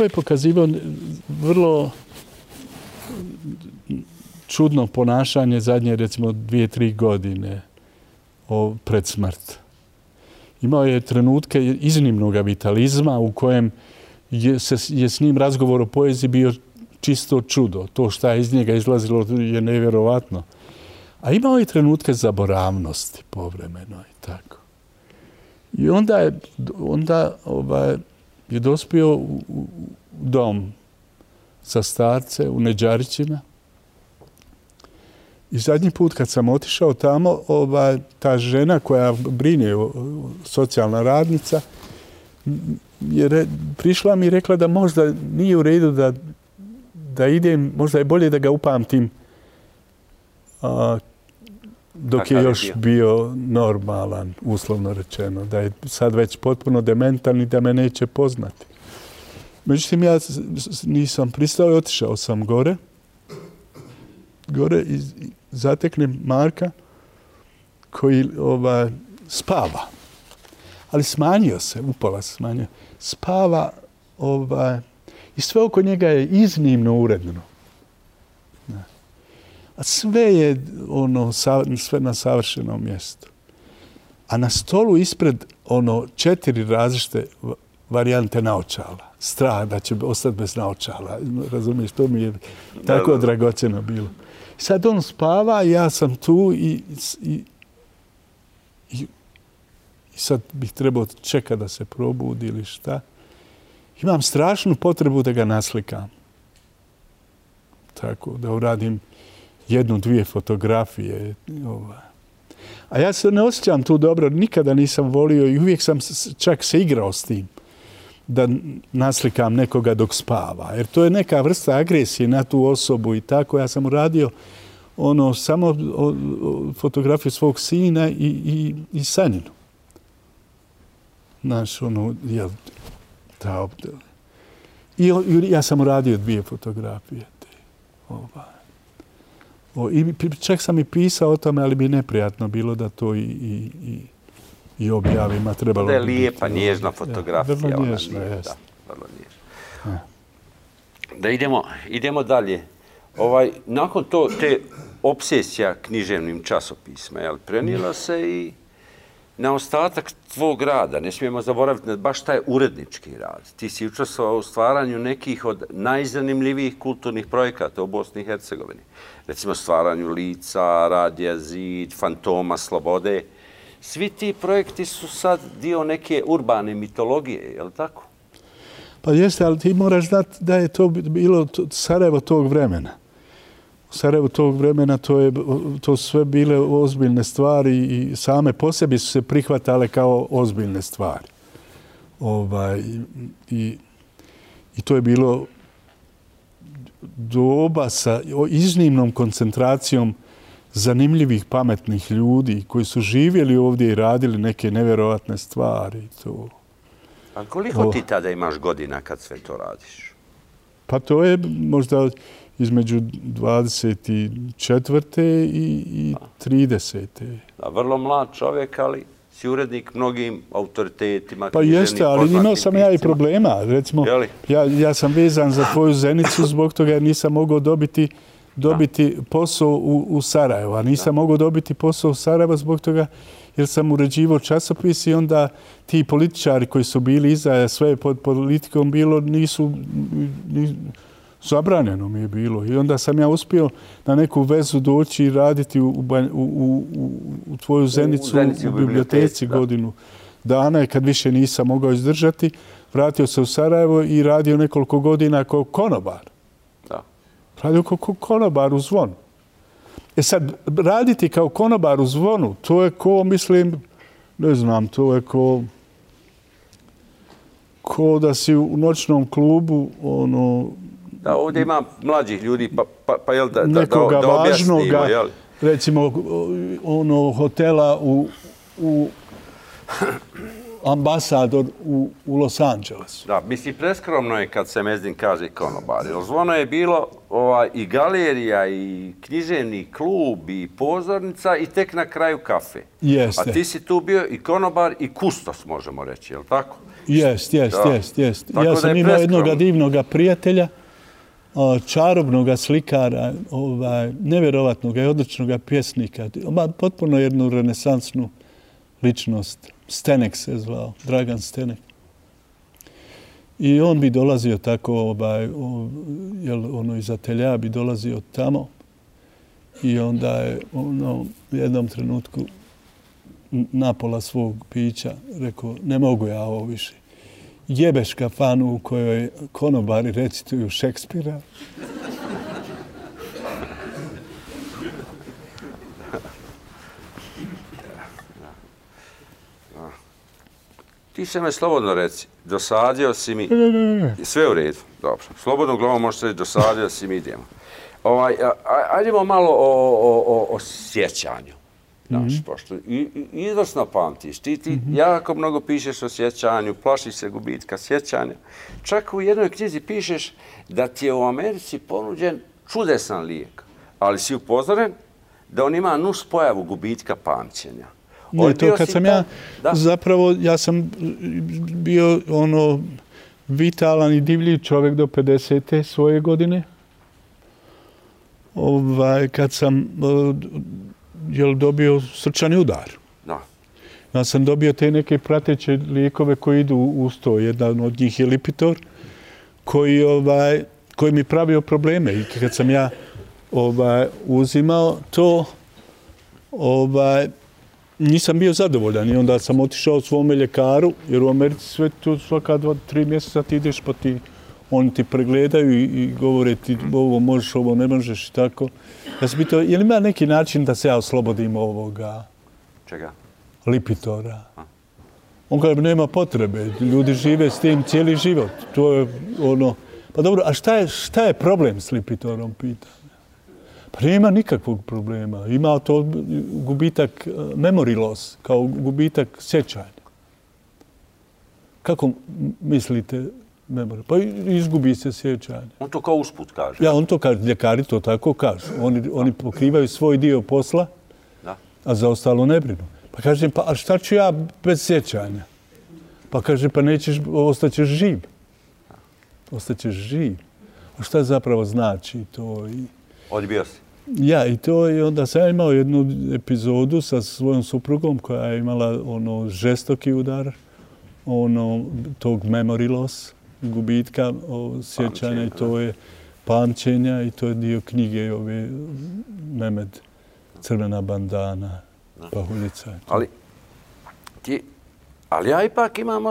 je pokazivao vrlo čudno ponašanje zadnje, recimo, 2-3 godine pred smrt. Imao je trenutke iznimnog vitalizma u kojem je s njim razgovor o poeziji bio čisto čudo. To šta je iz njega izlazilo je nevjerovatno. A imao je trenutke zaboravnosti povremeno i tako. I onda je dospio u dom sa starce u Neđarićima. I zadnji put kad sam otišao tamo, ta žena koja brine, socijalna radnica, prišla mi i rekla da možda nije u redu da idem, možda je bolje da ga upamtim dok je još bio normalan, uslovno rečeno, da je sad već potpuno dementan i da me neće poznati. Međutim, ja nisam pristao i otišao sam gore i zateknem Marka koji spava. Ali smanjio se, upola se smanjio. Spava i sve oko njega je iznimno uredno. A sve je sve na savršenom mjestu. A na stolu ispred 4 različite varijante naočala. Strah da će ostati bez naočala. Razumiješ, to mi je tako dragocjeno bilo. Sad on spava, ja sam tu i sad bih trebao čekati da se probudi ili šta. Imam strašnu potrebu da ga naslikam. Tako, da uradim 1-2 fotografije. A ja se ne osjećam tu dobro, nikada nisam volio i uvijek sam čak se igrao s tim da naslikam nekoga dok spava. Jer to je neka vrsta agresije na tu osobu i tako. Ja sam uradio samo fotografiju svog sina i Sanjinu. Znaš, I ja sam uradio 2 fotografije. I čak sam i pisao o tome, ali bi neprijatno bilo da to i objavim. Da je lijepa, nježna fotografija. Vrlo nježna, jeste. Vrlo nježna. Da idemo dalje. Nakon te obsesija književnim časopisma, prenijela se i na ostatak tvog rada. Ne smijemo zaboraviti baš taj urednički rad. Ti si učestvovao u stvaranju nekih od najzanimljivijih kulturnih projekata u Bosni i Hercegovini. Recimo stvaranju Lica, Radija Zid, Fantoma Slobode. Svi ti projekti su sad dio neke urbane mitologije, je li tako? Pa jeste, ali ti moraš znati da je to bilo Sarajevo tog vremena. U Sarajevu tog vremena to sve bile ozbiljne stvari i same po sebi su se prihvatale kao ozbiljne stvari. I to je bilo doba sa iznimnom koncentracijom zanimljivih, pametnih ljudi koji su živjeli ovdje i radili neke nevjerovatne stvari. A koliko ti tada imaš godina kad sve to radiš? Pa to je možda između 24. i 30. Vrlo mlad čovjek, ali si urednik mnogim autoritetima. Pa jeste, ali imao sam ja i problema. Recimo, ja sam vezan za tvoju Zenicu zbog toga jer nisam mogao dobiti posao u Sarajevu. A nisam mogao dobiti posao u Sarajevu zbog toga jer sam uređivao časopis i onda ti političari koji su bili iza sve pod politikom bilo nisu... Zabranjeno mi je bilo. I onda sam ja uspio na neku vezu doći i raditi u tvoju Zenicu u biblioteci godinu dana. I kad više nisam mogao izdržati, vratio se u Sarajevo i radio nekoliko godina kao konobar. Radio kao konobar u Zvonu. Sad, raditi kao konobar u Zvonu, to je mislim, ne znam, to je ko da si u noćnom klubu, Da, ovdje ima mlađih ljudi, pa jel da objasnimo, jel? Recimo, hotela u ambasador u Los Angelesu. Da, mislim, preskromno je kad se Mezdin kaže konobar. Zvono je bilo i galerija, i književni klub, i pozornica, i tek na kraju kafe. Jeste. A ti si tu bio i konobar, i kustos, možemo reći, je li tako? Jest. Ja sam imao jednog divnog prijatelja, čarobnog slikara, nevjerovatnog i odličnog pjesnika, potpuno jednu renesansnu ličnost. Stenek se zvao, Dragan Stenek. I on bi dolazio tako, iz atelja bi dolazio tamo i onda je u jednom trenutku napola svog pića rekao, ne mogu ja ovo više. Jebeš kafanu u kojoj konobari recituju Šekspira. Ti se me slobodno reci, dosadio si mi... Sve u redu, dobro. Slobodno glavom možeš reći, dosadio si mi, idemo. Ajdemo malo o sjećanju. Pošto izvrsno pamtiš. Ti jako mnogo pišeš o sjećanju, plašiš se gubitka sjećanja. Čak u jednoj knjizi pišeš da ti je u Americi ponuđen čudesan lijek, ali si upozoren da on ima nus pojavu gubitka pamćenja. Ne, to kad sam zapravo, ja sam bio vitalan i divljiv čovjek do 50. svoje godine. Kad sam dobio srčani udar. Ja sam dobio te neke prateće lijekove koji idu uz to. Jedan od njih je Lipitor, koji mi pravio probleme. I kad sam ja uzimao to, nisam bio zadovoljan. I onda sam otišao svome ljekaru, jer u Americi sve tu svaka 2-3 mjeseca ti ideš pa oni ti pregledaju i govore ti ovo možeš, ovo ne možeš i tako. Ja sam pitao, je li ima neki način da se ja oslobodim ovoga? Čega? Lipitora. On kaže, nema potrebe. Ljudi žive s tim cijeli život. To je Pa dobro, a šta je problem s Lipitorom, pita? Pa nema nikakvog problema. Ima to gubitak memory loss, kao gubitak sjećanja. Kako mislite Pa izgubi se sjećanje. On to kao usput kaže. Ja, on to kaže, ljekari to tako kažu. Oni pokrivaju svoj dio posla, a za ostalo ne brinu. Pa kažem, a šta ću ja bez sjećanja? Pa kaže, pa ostaćeš živ. Ostaćeš živ. A šta zapravo znači to? Odbio si? Ja, i to je onda sam imao jednu epizodu sa svojom suprugom koja je imala žestoki udar, tog memory loss, gubitka sjećanja i to je pamćenja i to je dio knjige ove Mehmed, Crvena bandana, Pahuljica. Ali ja ipak imam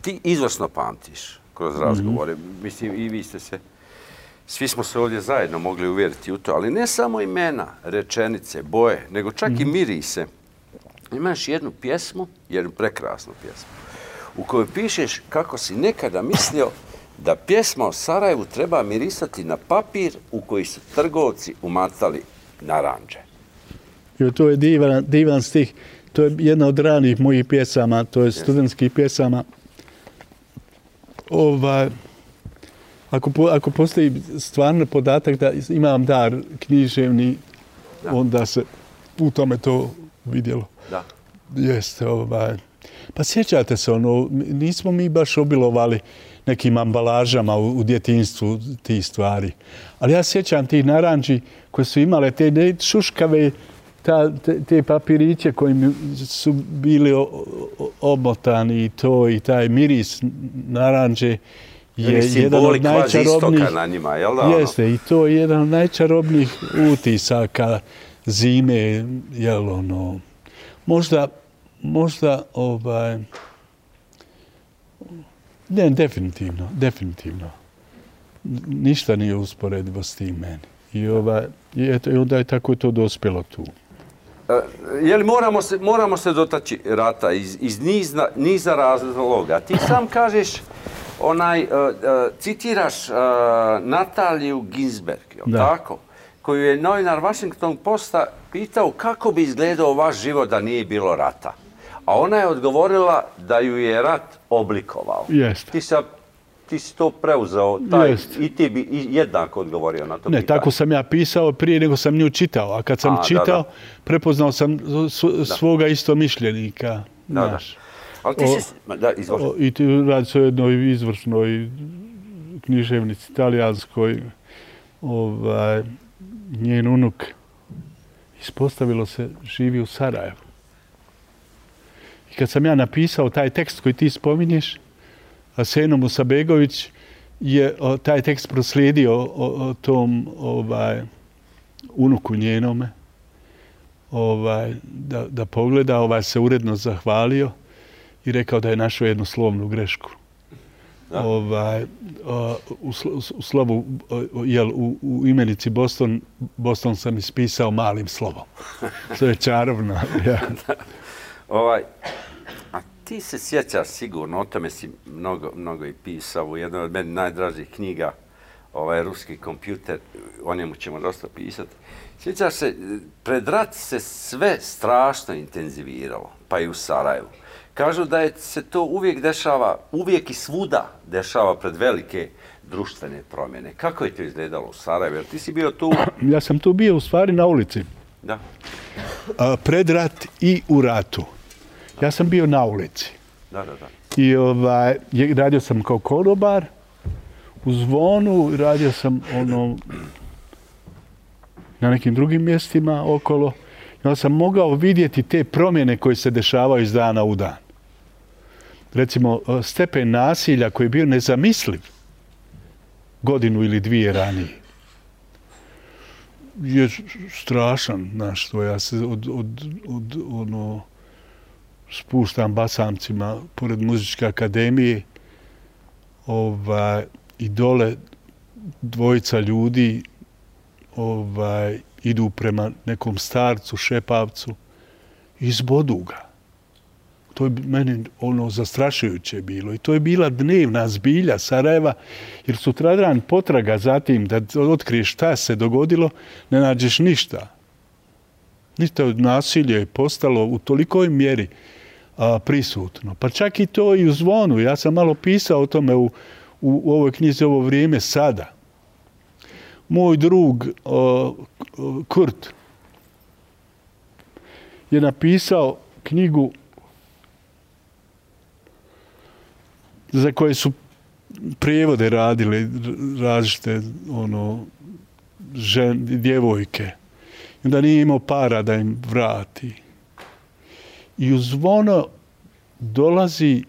ti izvrsno pamtiš kroz razgovore. Mislim, i vi ste se, svi smo se ovdje zajedno mogli uvjeriti u to, ali ne samo imena, rečenice, boje, nego čak i mirise. Imaš jednu pjesmu, jednu prekrasnu pjesmu, u kojoj pišeš kako si nekada mislio da pjesma o Sarajevu treba mirisati na papir u koji su trgovci umatali naranđe. To je divan stih. To je jedna od ranih mojih pjesama, to je studentskih pjesama. Ako postoji stvarno podatak da imam dar književni, onda se u tome to vidjelo. Da. Jeste, Pa sjećate se, nismo mi baš obilovali nekim ambalažama u djetinjstvu tih stvari. Ali ja sjećam tih naranđi koje su imale te šuškave, te papiriće kojim su bili omotani i to i taj miris naranđe je jedan od najčarobnijih. Na njima, jel da? Jeste, i to je jedan od najčarobnijih utisaka zime, možda ne, definitivno. Ništa nije usporedivo s tim meni. I onda je tako to dospjelo tu. Jeli moramo se dotaći rata iz niza razloga. Ti sam kažeš, citiraš Nataliju Ginsberg, tako? Koju je novinar Washington Posta pitao kako bi izgledao vaš život da nije bilo rata. A ona je odgovorila da ju je rat oblikovao. Ti si to preuzeo i ti bi jednako odgovorio na to pitanje. Ne, tako sam ja pisao prije nego sam nju čitao. A kad sam čitao, prepoznao sam svoga istomišljenika. Ali ti si... I ti radi se o jednoj izvršnoj književnici talijanskoj. Njen unuk, ispostavilo se, živi u Sarajevu. I kad sam ja napisao taj tekst koji ti spominješ, Aseno Musabegović je taj tekst proslijedio tom unuku njenome da pogleda, se uredno zahvalio i rekao da je našao jednu slovnu grešku. U slovu, u imenici Boston sam ispisao malim slovom. To je čarobno. A ti se sjećaš sigurno, o tome si mnogo i pisao u jednoj od meni najdražih knjiga, Ruski kompjuter, o njemu ćemo dosta pisati. Sjećaš se, pred rat se sve strašno intenziviralo, pa i u Sarajevu. Kažu da se to uvijek dešava, uvijek i svuda dešava pred velike društvene promjene. Kako je to izgledalo u Sarajevu? Jer ti si bio tu... Ja sam tu bio u stvari na ulici. Da. Pred rat i u ratu. Ja sam bio na ulici. Da. I radio sam kao konobar u Zvonu, radio sam na nekim drugim mjestima okolo. I onda sam mogao vidjeti te promjene koje se dešavaju iz dana u dan. Recimo, stepen nasilja koji je bio nezamisliv godinu ili dvije ranije je strašan, znaš, to ja se spuštam basamcima pored muzičke akademije i dole dvojica ljudi idu prema nekom starcu, šepavcu i zbodu ga. To je meni zastrašujuće bilo. I to je bila dnevna zbilja Sarajeva, jer sutradan potraga za tim da otkriješ šta se dogodilo, ne nađeš ništa. Ništa od nasilja je postalo u tolikoj mjeri prisutno. Pa čak i to i u Zvonu. Ja sam malo pisao o tome u ovoj knjizi ovo vrijeme sada. Moj drug Kurt je napisao knjigu za koje su prijevode radile različite djevojke. I onda nije imao para da im vrati. I u Zvono dolazi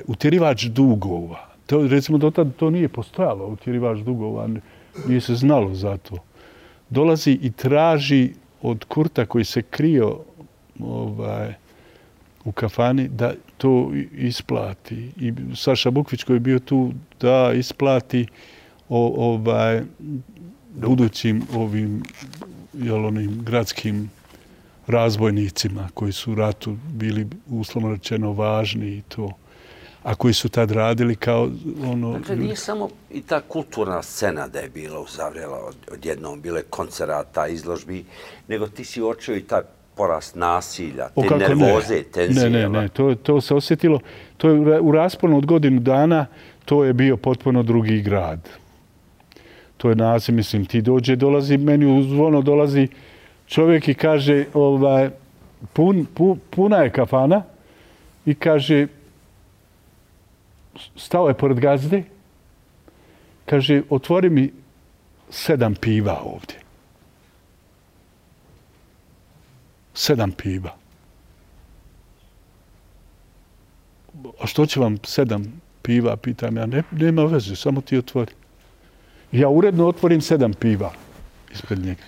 utjerivač dugova. To, recimo, do tada to nije postojalo, utjerivač dugova, nije se znalo za to. Dolazi i traži od Kurta koji se krio u kafani da to isplati. I Saša Bukvić koji je bio tu da isplati budućim ovim gradskim razbojnicima koji su u ratu bili uslovno rečeno važni i to. A koji su tad radili kao Dakle, nije samo i ta kulturna scena da je bila uzavrela odjednom, bile koncerata, izložbi, nego ti si uočio i taj porast nasilja, te nervoze, tenzije. Ne, to se osjetilo. To je u rasponu od godinu dana, to je bio potpuno drugi grad. To je naziv, mislim, dolazi, meni u Zvono dolazi čovjek i kaže, puna je kafana i kaže, stao je pored gazde, kaže, otvori mi 7 piva ovdje. 7 piva. A što će vam 7 piva, pitam ja, nema veze, samo ti otvori. Ja uredno otvorim 7 piva ispred njega.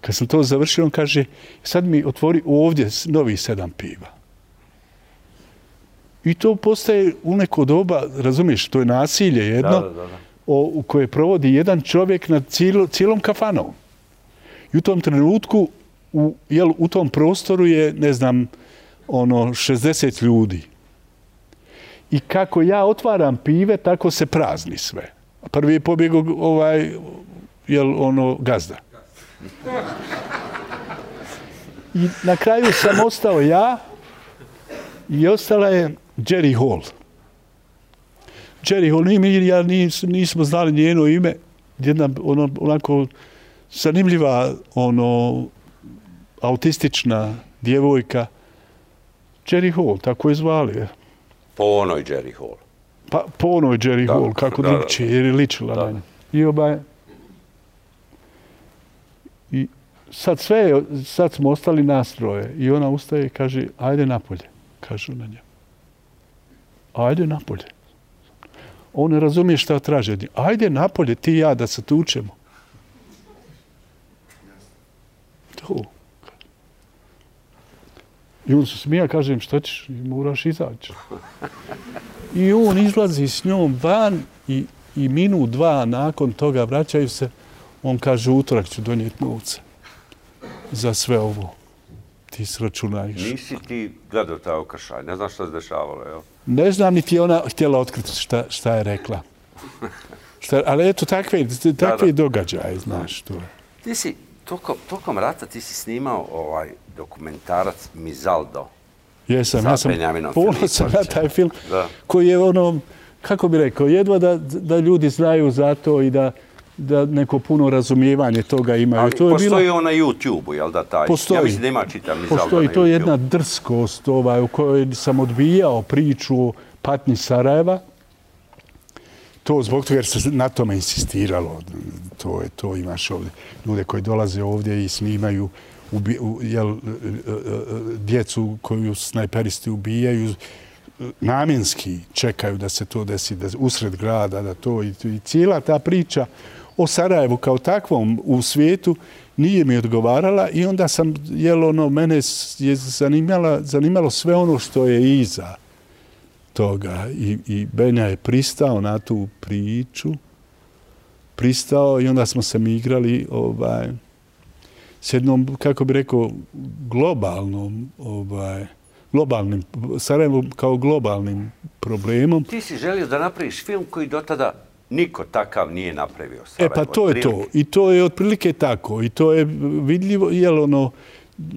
Kad sam to završio, on kaže, sad mi otvori ovdje novih 7 piva. I to postaje u neko doba, razumiješ, to je nasilje jedno, u koje provodi jedan čovjek nad cijelom kafanom. I u tom trenutku, u tom prostoru je, ne znam, 60 ljudi. I kako ja otvaram pive, tako se prazni sve. Prvi je pobjegao gazda. I na kraju sam ostao ja i ostala je Jerry Hall. Jerry Hall, ja nismo znali njeno ime, jedna onako zanimljiva, autistična djevojka. Jerry Hall, tako je zvali. Po onoj Jerry Hall. Pa po onoj Jerry Hall, kako drugčije, jer je ličila na nju. I sad smo ostali nastroje i ona ustaje i kaže, ajde napolje, kažu na njemu. Ajde napolje. On ne razumije šta traže. Ajde napolje, ti i ja, da se tučemo. To. I on se smija, kažem, što ćeš, moraš izaći. I on izlazi s njom van i minut, dva nakon toga vraćaju se. On kaže, utorak ću donijeti novce za sve ovo. Ti sračunajš. Nisi ti gledao taj okršaj, ne znam što se dešavalo, jel? Ne znam, niti ona htjela otkriti šta je rekla. Ali eto, takve događaje, znaš. Ti si, tokom rata, ti si snimao dokumentarac Mizaldo. Jesam, ja sam ponosan na taj film, koji je kako bi rekao, jedva da ljudi znaju za to i da neko puno razumijevanje toga imaju. Ali postoji on na YouTube-u, jel da taj? Postoji. Ja mislim da ima čitav Mizaldo na YouTube. Postoji, to je jedna drskost u kojoj sam odbijao priču o patnji Sarajeva. To zbog toga jer se na tome insistiralo. To imaš ovdje. Ljude koji dolaze ovdje i snimaju djecu koju snajperisti ubijaju, namjenski čekaju da se to desi usred grada, da to i cijela ta priča o Sarajevu kao takvom u svijetu nije mi odgovarala i onda sam, mene je zanimalo sve ono što je iza toga i Benja je pristao na tu priču, i onda smo se mi igrali s jednom, kako bi rekao, globalnim, Sarajevom kao globalnim problemom. Ti si želio da napraviš film koji do tada niko takav nije napravio. Sarajevo, pa to je to. I to je otprilike tako. I to je vidljivo,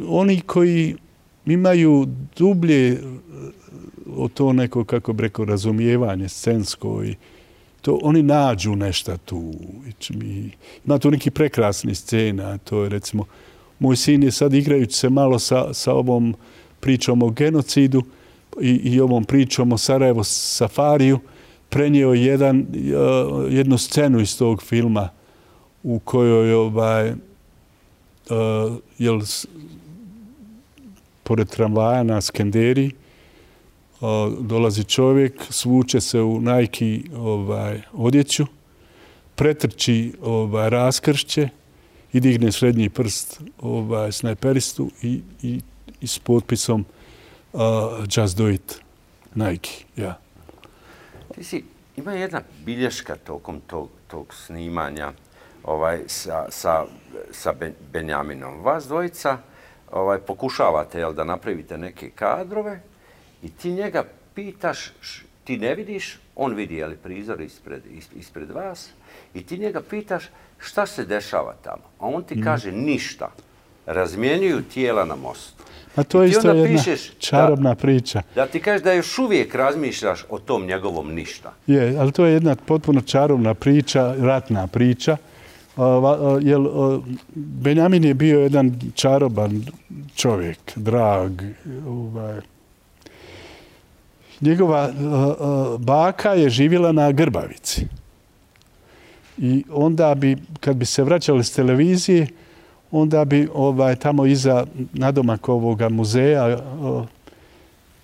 oni koji imaju dublje o to neko, kako bi rekao, razumijevanje scensko oni nađu nešto tu. Ima tu neki prekrasni scena. To je, recimo, moj sin je sad igrajući se malo sa ovom pričom o genocidu i ovom pričom o Sarajevo safariju, prenio jednu scenu iz tog filma u kojoj pored tramvaja na Skenderiji dolazi čovjek, svuče se u Nike odjeću, pretrči raskršće i digne srednji prst snajperistu i s potpisom Just do it, Nike. Ja. Ima jedna bilješka tokom tog snimanja sa Benjaminom. Vas dvojica pokušavate da napravite neke kadrove i ti njega pitaš, ti ne vidiš, on vidi prizor ispred vas i ti njega pitaš šta se dešava tamo. A on ti kaže ništa. Razmjenjuju tijela na mostu. A to je isto jedna čarobna priča. Da ti kažeš da još uvijek razmišljaš o tom njegovom ništa. Je, ali to je jedna potpuno čarobna priča, ratna priča. Benjamin je bio jedan čaroban čovjek, drag. Njegova baka je živjela na Grbavici. I onda bi, kad bi se vraćali s televizije, onda bi tamo iza nadomak ovoga muzeja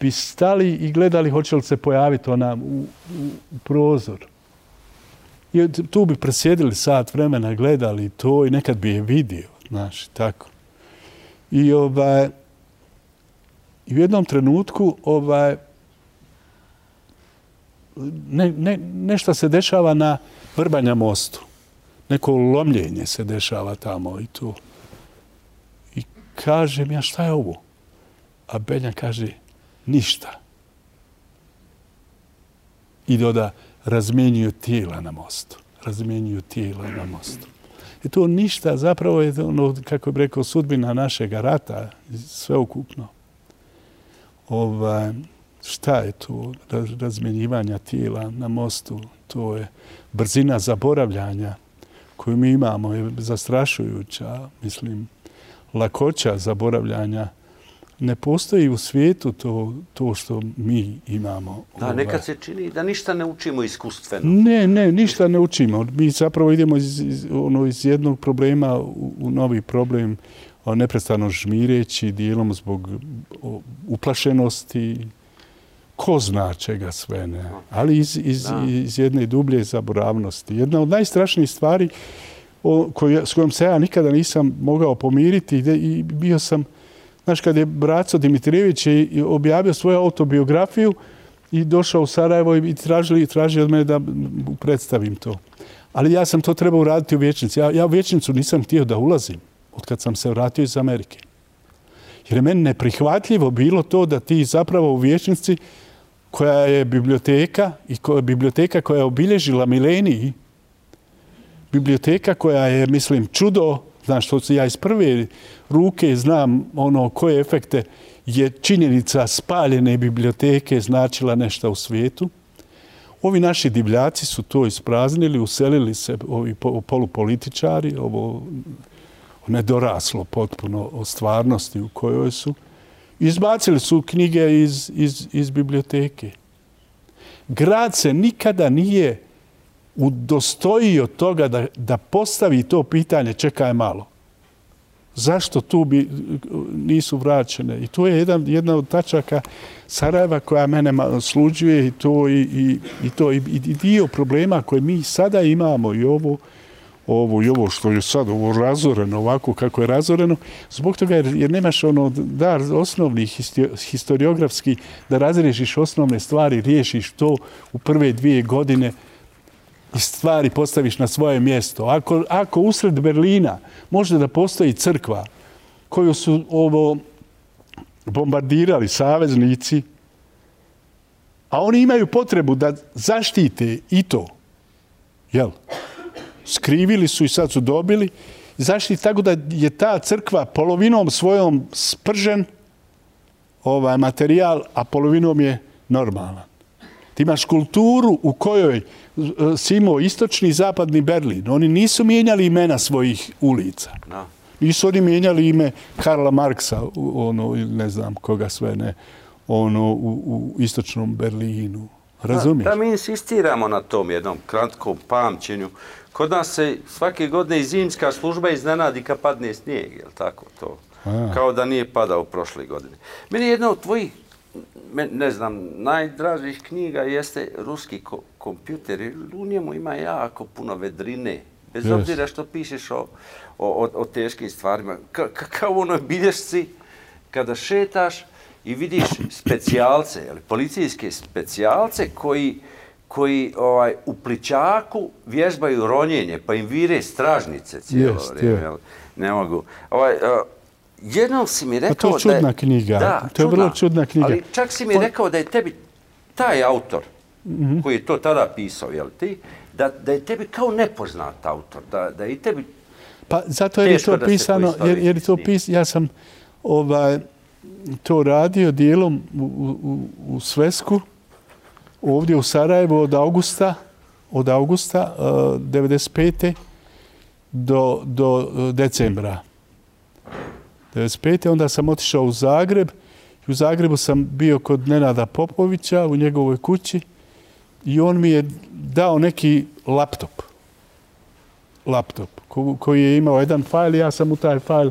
bi stali i gledali hoće li se pojaviti ona u prozor. I tu bi presjedili sat vremena, gledali to i nekad bi je vidio, znaš, tako. I u jednom trenutku nešto se dešava na Vrbanja mostu. Neko lomljenje se dešava tamo i tu. I kažem ja šta je ovo? A Benja kaže ništa. I doda razmjenjuju tijela na mostu. Razmjenjuju tijela na mostu. I to ništa zapravo je ono, kako bih rekao, sudbina našeg rata, sveukupno. Šta je to razmjenjivanja tijela na mostu? To je brzina zaboravljanja koju mi imamo, je zastrašujuća, mislim, lakoća zaboravljanja. Ne postoji u svijetu to što mi imamo. Da, nekad se čini da ništa ne učimo iskustveno. Ne, ništa ne učimo. Mi zapravo idemo iz jednog problema u novi problem, neprestano žmireći, dijelom zbog uplašenosti, ko zna čega sve ne, ali iz jedne dublje zaboravnosti. Jedna od najstrašnijih stvari s kojom se ja nikada nisam mogao pomiriti i bio sam, znaš, kad je Braco Dimitrijević objavio svoju autobiografiju i došao u Sarajevo i tražio od mene da predstavim to. Ali ja sam to trebao uraditi u Vječnici. Ja u Vječnicu nisam htio da ulazim od kad sam se vratio iz Amerike. Jer je meni neprihvatljivo bilo to da ti zapravo u Vječnici, koja je biblioteka i biblioteka koja je obilježila mileniji, biblioteka koja je, mislim, čudo, znaš, što ja iz prve ruke znam koje efekte je činjenica spaljene biblioteke značila nešto u svijetu. Ovi naši divljaci su to ispraznili, uselili se ovi polupolitičari, ovo nedoraslo potpuno o stvarnosti u kojoj su. Izbacili su knjige iz biblioteke. Grad se nikada nije udostojio toga da postavi to pitanje, čekaj malo. Zašto tu nisu vraćene? I to je jedna od tačaka Sarajeva koja mene sluđuje i dio problema koje mi sada imamo i ovo što je sad razoreno, ovako kako je razoreno, zbog toga jer nemaš dar osnovnih historiografski da razriješiš osnovne stvari, riješiš to u prve 2 godine i stvari postaviš na svoje mjesto. Ako usred Berlina može da postoji crkva koju su bombardirali saveznici, a oni imaju potrebu da zaštite i to, jel? Skrivili su i sad su dobili. Zaštiti tako da je ta crkva polovinom svojom spržen materijal, a polovinom je normalan. Ti imaš kulturu u kojoj Simo, istočni i zapadni Berlin, oni nisu mijenjali imena svojih ulica. No. Nisu oni mijenjali ime Karla Marksa, ne znam koga sve ne, u istočnom Berlinu. Razumiješ? Da mi insistiramo na tom jednom kratkom pamćenju. Kod nas se svake godine i zimska služba iznenadi kad padne snijeg, je li tako to? Kao da nije padao prošle godine. Meni jedna od tvojih, ne znam, najdražih knjiga jeste Ruski kompjuter. U njemu ima jako puno vedrine. Bez obzira što pišeš o teškim stvarima. Kao u onoj bilješci, kada šetaš i vidiš specijalce, policijske specijalce koji u plićaku vježbaju ronjenje, pa im vire stražnice cijelo vrijeme. Ne mogu. Jednom si mi rekao to je čudna knjiga. Da, to je vrlo čudna knjiga. Ali čak si mi rekao da je tebi taj autor, koji je to tada pisao, jel ti, da je tebi kao nepoznat autor, da je i tebi pa zato je to pisano, jer to ja sam to radio dijelom u Svesku, ovdje u Sarajevu od augusta 95. do decembra 95. Onda sam otišao u Zagreb. U Zagrebu sam bio kod Nenada Popovića u njegovoj kući i on mi je dao neki laptop koji je imao jedan fajl i ja sam u taj fajl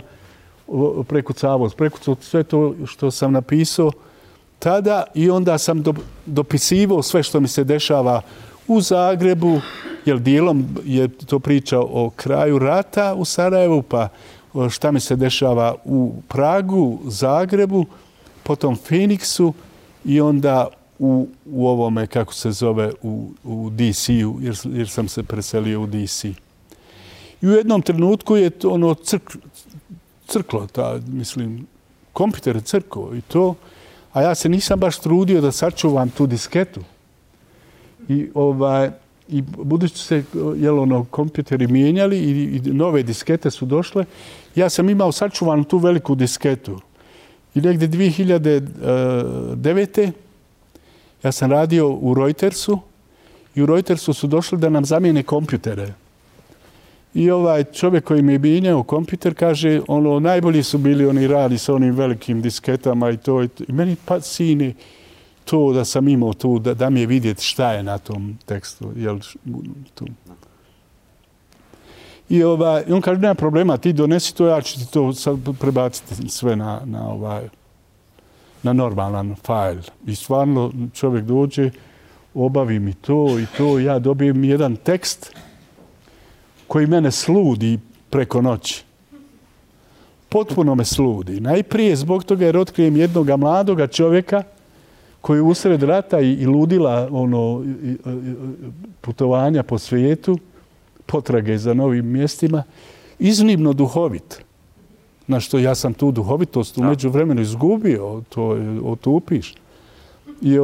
prekucavao sve to što sam napisao tada i onda sam dopisivao sve što mi se dešava u Zagrebu, jer dijelom je to priča o kraju rata u Sarajevu, pa šta mi se dešava u Pragu, Zagrebu, potom Feniksu i onda u ovome, kako se zove, u DC-u, jer sam se preselio u DC. I u jednom trenutku je to ono crklo, kompjuter crklo i to, a ja se nisam baš trudio da sačuvam tu disketu. I budući se kompjuteri mijenjali i nove diskete su došle, ja sam imao sačuvanu tu veliku disketu. I negdje 2009. ja sam radio u Reutersu i u Reutersu su došli da nam zamijene kompjutere. I ovaj čovjek koji mi je mijenjao kompjuter kaže, najbolji su bili oni radi sa onim velikim disketama i to. I meni pa sine to da sam imao tu, da mi je vidjeti šta je na tom tekstu. I on kaže, nema problema, ti donesi to, ja ću ti to prebaciti sve na normalan fajl. I stvarno čovjek dođe, obavi mi to i to, ja dobijem jedan tekst koji mene sludi preko noći. Potpuno me sludi. Najprije zbog toga jer otkrijem jednog mladoga čovjeka koji je usred rata i ludila putovanja po svijetu, potrage za novim mjestima, iznimno duhovit. Na što ja sam tu duhovitost umeđu vremenu izgubio, to otupiš. I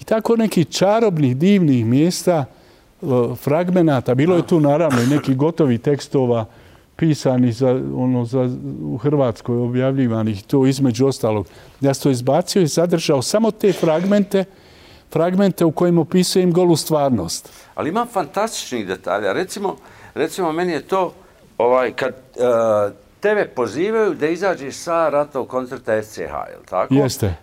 tako nekih čarobnih, divnih mjesta, fragmenata, bilo je tu naravno i nekih gotovih tekstova pisani u Hrvatskoj objavljivanih, to između ostalog. Ja sam to izbacio i zadržao samo te fragmente u kojima opisujem golu stvarnost. Ali imam fantastičnih detalja. Recimo meni je to kad tebe pozivaju da izađeš sa ratnog koncerta SCH, je li tako? Jeste.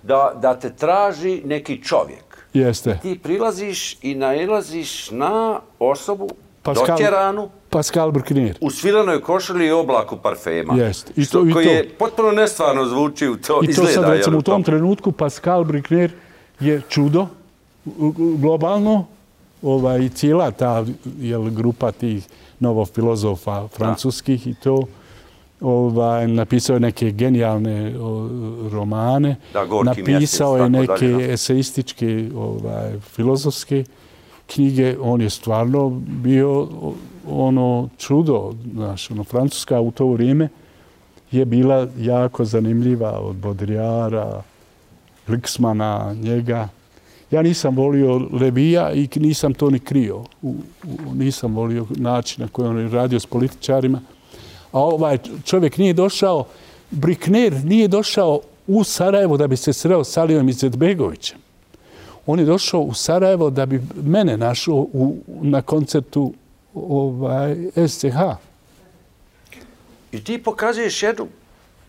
Da te traži neki čovjek. Jeste. Ti prilaziš i nailaziš na osobu doćeranu. Pascal Bruckner. U svilenoj košulji i oblaku parfema. Jeste. Koji je potpuno nestvarno zvuči u to izgleda. I to sad, recimo, u tom trenutku Pascal Bruckner je čudo globalno. Cijela ta grupa tih novofilozofa francuskih i to napisao je neke genijalne romane, napisao je neke eseističke filozofske knjige. On je stvarno bio čudo. Francuska u to vrijeme je bila jako zanimljiva od Baudrillarda, Glicksmana, njega. Ja nisam volio Levija i nisam to ni krio. Nisam volio način na koji on je radio s političarima. A ovaj čovjek nije došao, Bruckner nije došao u Sarajevo da bi se sreo s Alijom Izetbegovićem. On je došao u Sarajevo da bi mene našao na koncertu SCH. I ti pokazuješ jednu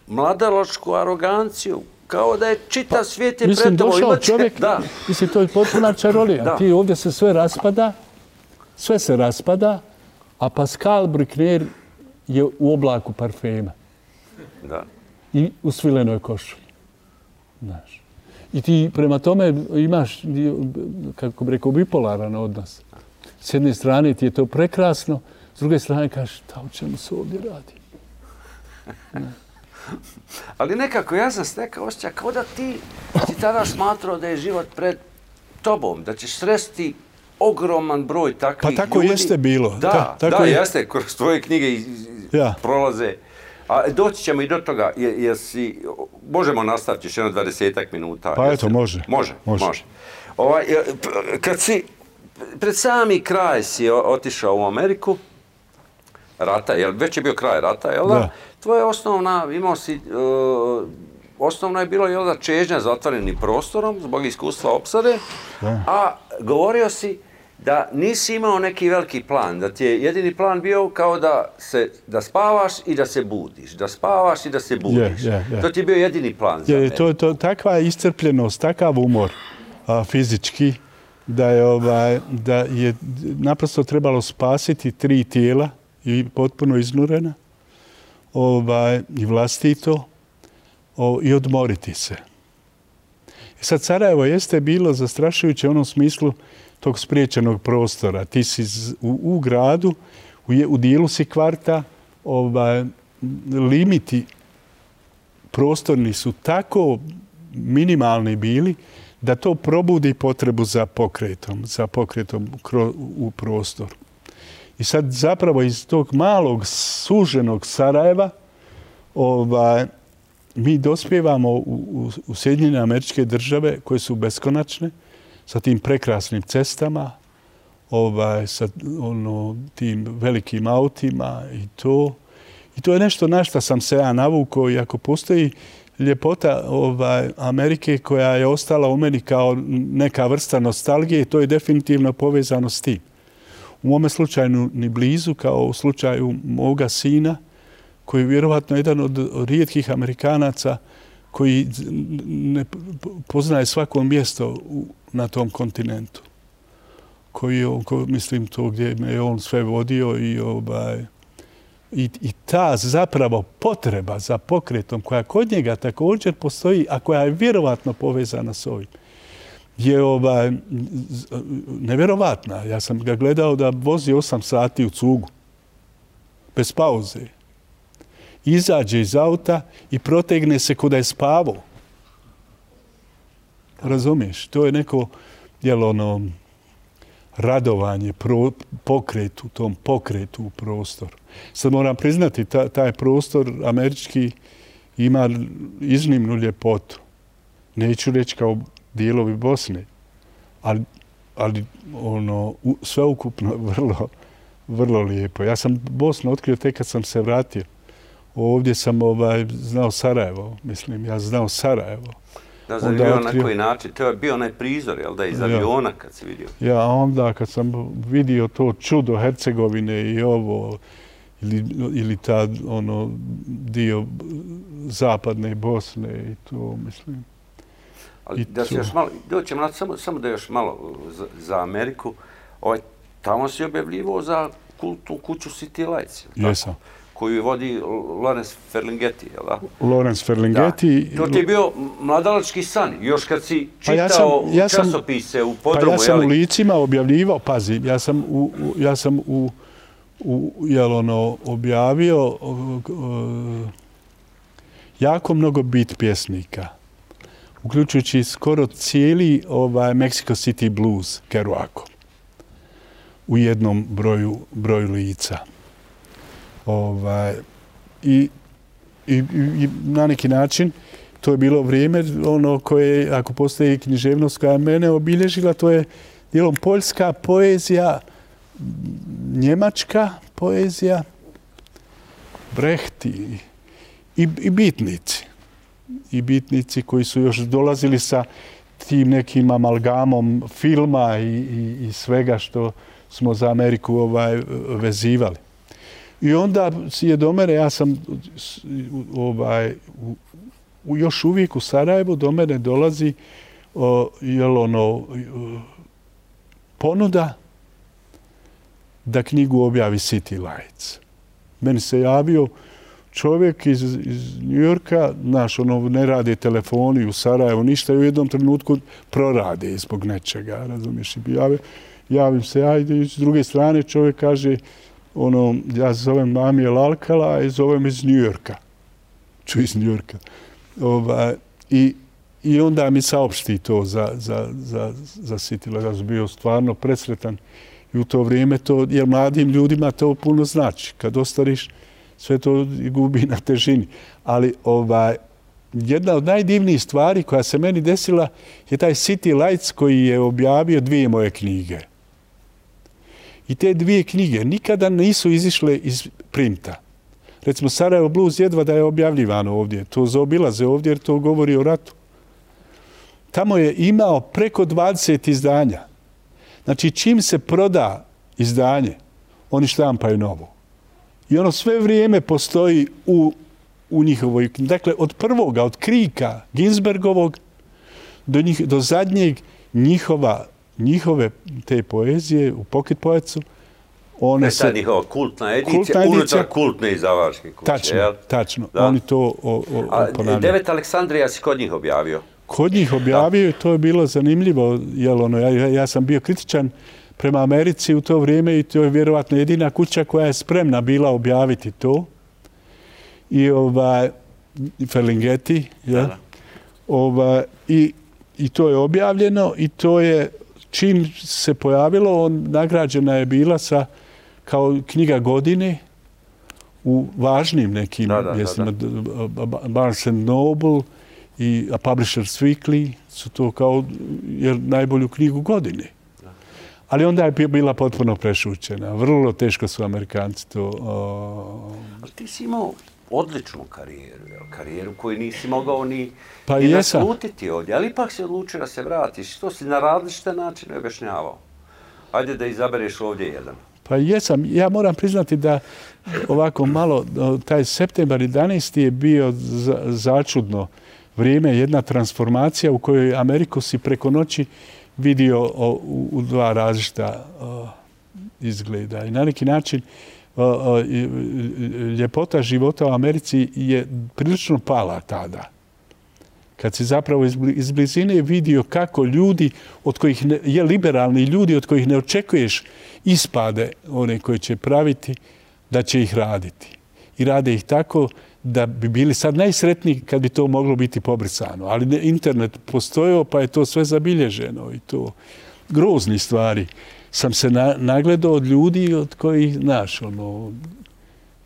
mladalačku aroganciju, kao da je čitav svijet je pred tobom. Mislim, došao čovjek, mislim, to je potpuna čarolija. Ti ovdje se sve se raspada, a Pascal Bruckner je u oblaku parfema. Da. I u svilenoj košulji. Znaš. I ti prema tome imaš, kako bi rekao, bipolaran odnos. S jedne strane ti je to prekrasno, s druge strane kažeš, o čemu se ovdje radi? Ali nekako, ja sam stekao osjećaj kao da ti si tada smatrao da je život pred tobom, da ćeš sresti ogroman broj takvih ljudi. Pa tako jeste bilo. Da, jeste, kroz tvoje knjige prolaze. A doći ćemo i do toga, jer možemo nastaviti još jedno 20 minuta. Pa eto, može. Može. Kad si, pred sami kraj si otišao u Ameriku, rata, već je bio kraj rata, jel da? Tvoja osnovna, osnovno je bilo, jel da, čežnja za otvorenim prostorom, zbog iskustva opsade, a govorio si da nisi imao neki veliki plan, da ti je jedini plan bio kao da spavaš i da se budiš, da spavaš i da se budiš. To ti je bio jedini plan za mene. To takva iscrpljenost, takav umor fizički, da je naprosto trebalo spasiti 3 tijela i potpuno iznurena i vlastito i odmoriti se. I sad Sarajevo jeste bilo zastrašujuće u onom smislu tog spriječenog prostora. Ti si u gradu, u dijelu si kvarta, limiti prostorni su tako minimalni bili da to probudi potrebu za pokretom u prostoru. I sad zapravo iz tog malog suženog Sarajeva mi dospijevamo u Sjedinjene Američke Države koje su beskonačne, sa tim prekrasnim cestama, sa tim velikim autima i to. I to je nešto na što sam se ja navukao i ako postoji ljepota Amerike koja je ostala u meni kao neka vrsta nostalgije, to je definitivno povezano s tim. U mome slučaju ni blizu, kao u slučaju moga sina, koji je vjerovatno jedan od rijetkih Amerikanaca koji ne poznaje svako mjesto na tom kontinentu. Mislim to gdje je on sve vodio i ta zapravo potreba za pokretom koja kod njega također postoji, a koja je vjerovatno povezana s ovim, je nevjerovatna. Ja sam ga gledao da vozi 8 sati u cugu, bez pauze. Izađe iz auta i protegne se kuda je spavao. Razumiješ? To je neko radovanje, pokretu, tom pokretu u prostoru. Sad moram priznati, taj prostor američki ima iznimnu ljepotu. Neću reći kao dijelovi Bosne, ali sveukupno vrlo lijepo. Ja sam Bosnu otkrio tek kad sam se vratio. Ovdje sam znao Sarajevo, ja znao Sarajevo. Da, za bio na koji način? To je bio onaj prizor, jel da, iz aviona kad si vidio? Ja, onda kad sam vidio to čudo Hercegovine i ovo, ili ta dio zapadne Bosne i to, mislim. Ali da se još malo, doćemo samo da još malo za Ameriku. Tamo si objavljivao za kultnu kuću City Lights. Jesam. Koju vodi Lawrence Ferlinghetti, jel da? Lawrence Ferlinghetti. To ti je bio mladalački san, još kad si čitao časopise u podrumu, jel? Pa ja sam u Licima objavljivao, pazi, ja sam objavio jako mnogo beat pjesnika, uključujući skoro cijeli Mexico City Blues, Kerouac, u jednom broju lica. I na neki način to je bilo vrijeme koje, ako postoji književnost koja je mene obilježila, to je dijelom poljska poezija, njemačka poezija, Brecht i bitnici. I bitnici koji su još dolazili sa tim nekim amalgamom filma i svega što smo za Ameriku vezivali. I onda je do mene, ja sam još uvijek u Sarajevu, do mene dolazi ponuda da knjigu objavi City Lights. Meni se javio čovjek iz Njujorka, ne rade telefoni u Sarajevu, ništa, i u jednom trenutku prorade zbog nečega, razumiješ? Javim se ja i s druge strane čovjek kaže, ja se zovem Amijel Alcala i zovem iz Njujorka. Čuj iz Njujorka. I onda mi saopšti to za City Lights. Ja sam bio stvarno presretan i u to vrijeme to, jer mladim ljudima to puno znači. Kad ostariš, sve to gubi na težini. Ali jedna od najdivnijih stvari koja se meni desila je taj City Lights koji je objavio 2 moje knjige. I te 2 knjige nikada nisu izišle iz printa. Recimo, Sarajevo Blues jedva da je objavljivano ovdje. To zaobilaze ovdje jer to govori o ratu. Tamo je imao preko 20 izdanja. Znači, čim se proda izdanje, oni štampaju novo. I ono sve vrijeme postoji u njihovoj... Dakle, od prvoga, od Krika Ginsbergovog do zadnjeg njihove te poezije u Pocket Poetsu, one se... To je ta njihova kultna edicija, unutar kultne izdavačke kuće. Tačno. Oni to ponavljaju. 9 Aleksandrija si kod njih objavio? Kod njih objavio i to je bilo zanimljivo. Ja sam bio kritičan prema Americi u to vrijeme i to je vjerovatno jedina kuća koja je spremna bila objaviti to. I Ferlinghetti. I to je objavljeno i to je, čim se pojavilo, nagrađena je bila kao knjiga godine u važnim nekim mjestima. Barnes & Noble i Publishers Weekly su to kao najbolju knjigu godine. Ali onda je bila potpuno prešućena. Vrlo teško su Amerikanci to... Ali ti si imao odličnu karijeru koju nisi mogao ni naslutiti ovdje, ali ipak si odlučio da se vratiš. To si na različite načine objašnjavao. Ajde da izabereš ovdje jedan. Pa jesam. Ja moram priznati da ovako malo, taj septembar 11. je bio začudno vrijeme, jedna transformacija u kojoj Ameriku si preko noći vidio u 2 različita izgleda. I na neki način ljepota života u Americi je prilično pala tada. Kad si zapravo iz blizine vidio kako ljudi, od kojih liberalni ljudi, od kojih ne očekuješ ispade one koje će praviti, da će ih raditi. I rade ih tako da bi bili sad najsretniji kad bi to moglo biti pobrisano. Ali internet postojao pa je to sve zabilježeno i to grozni stvari. Sam se nagledao od ljudi od kojih, znaš,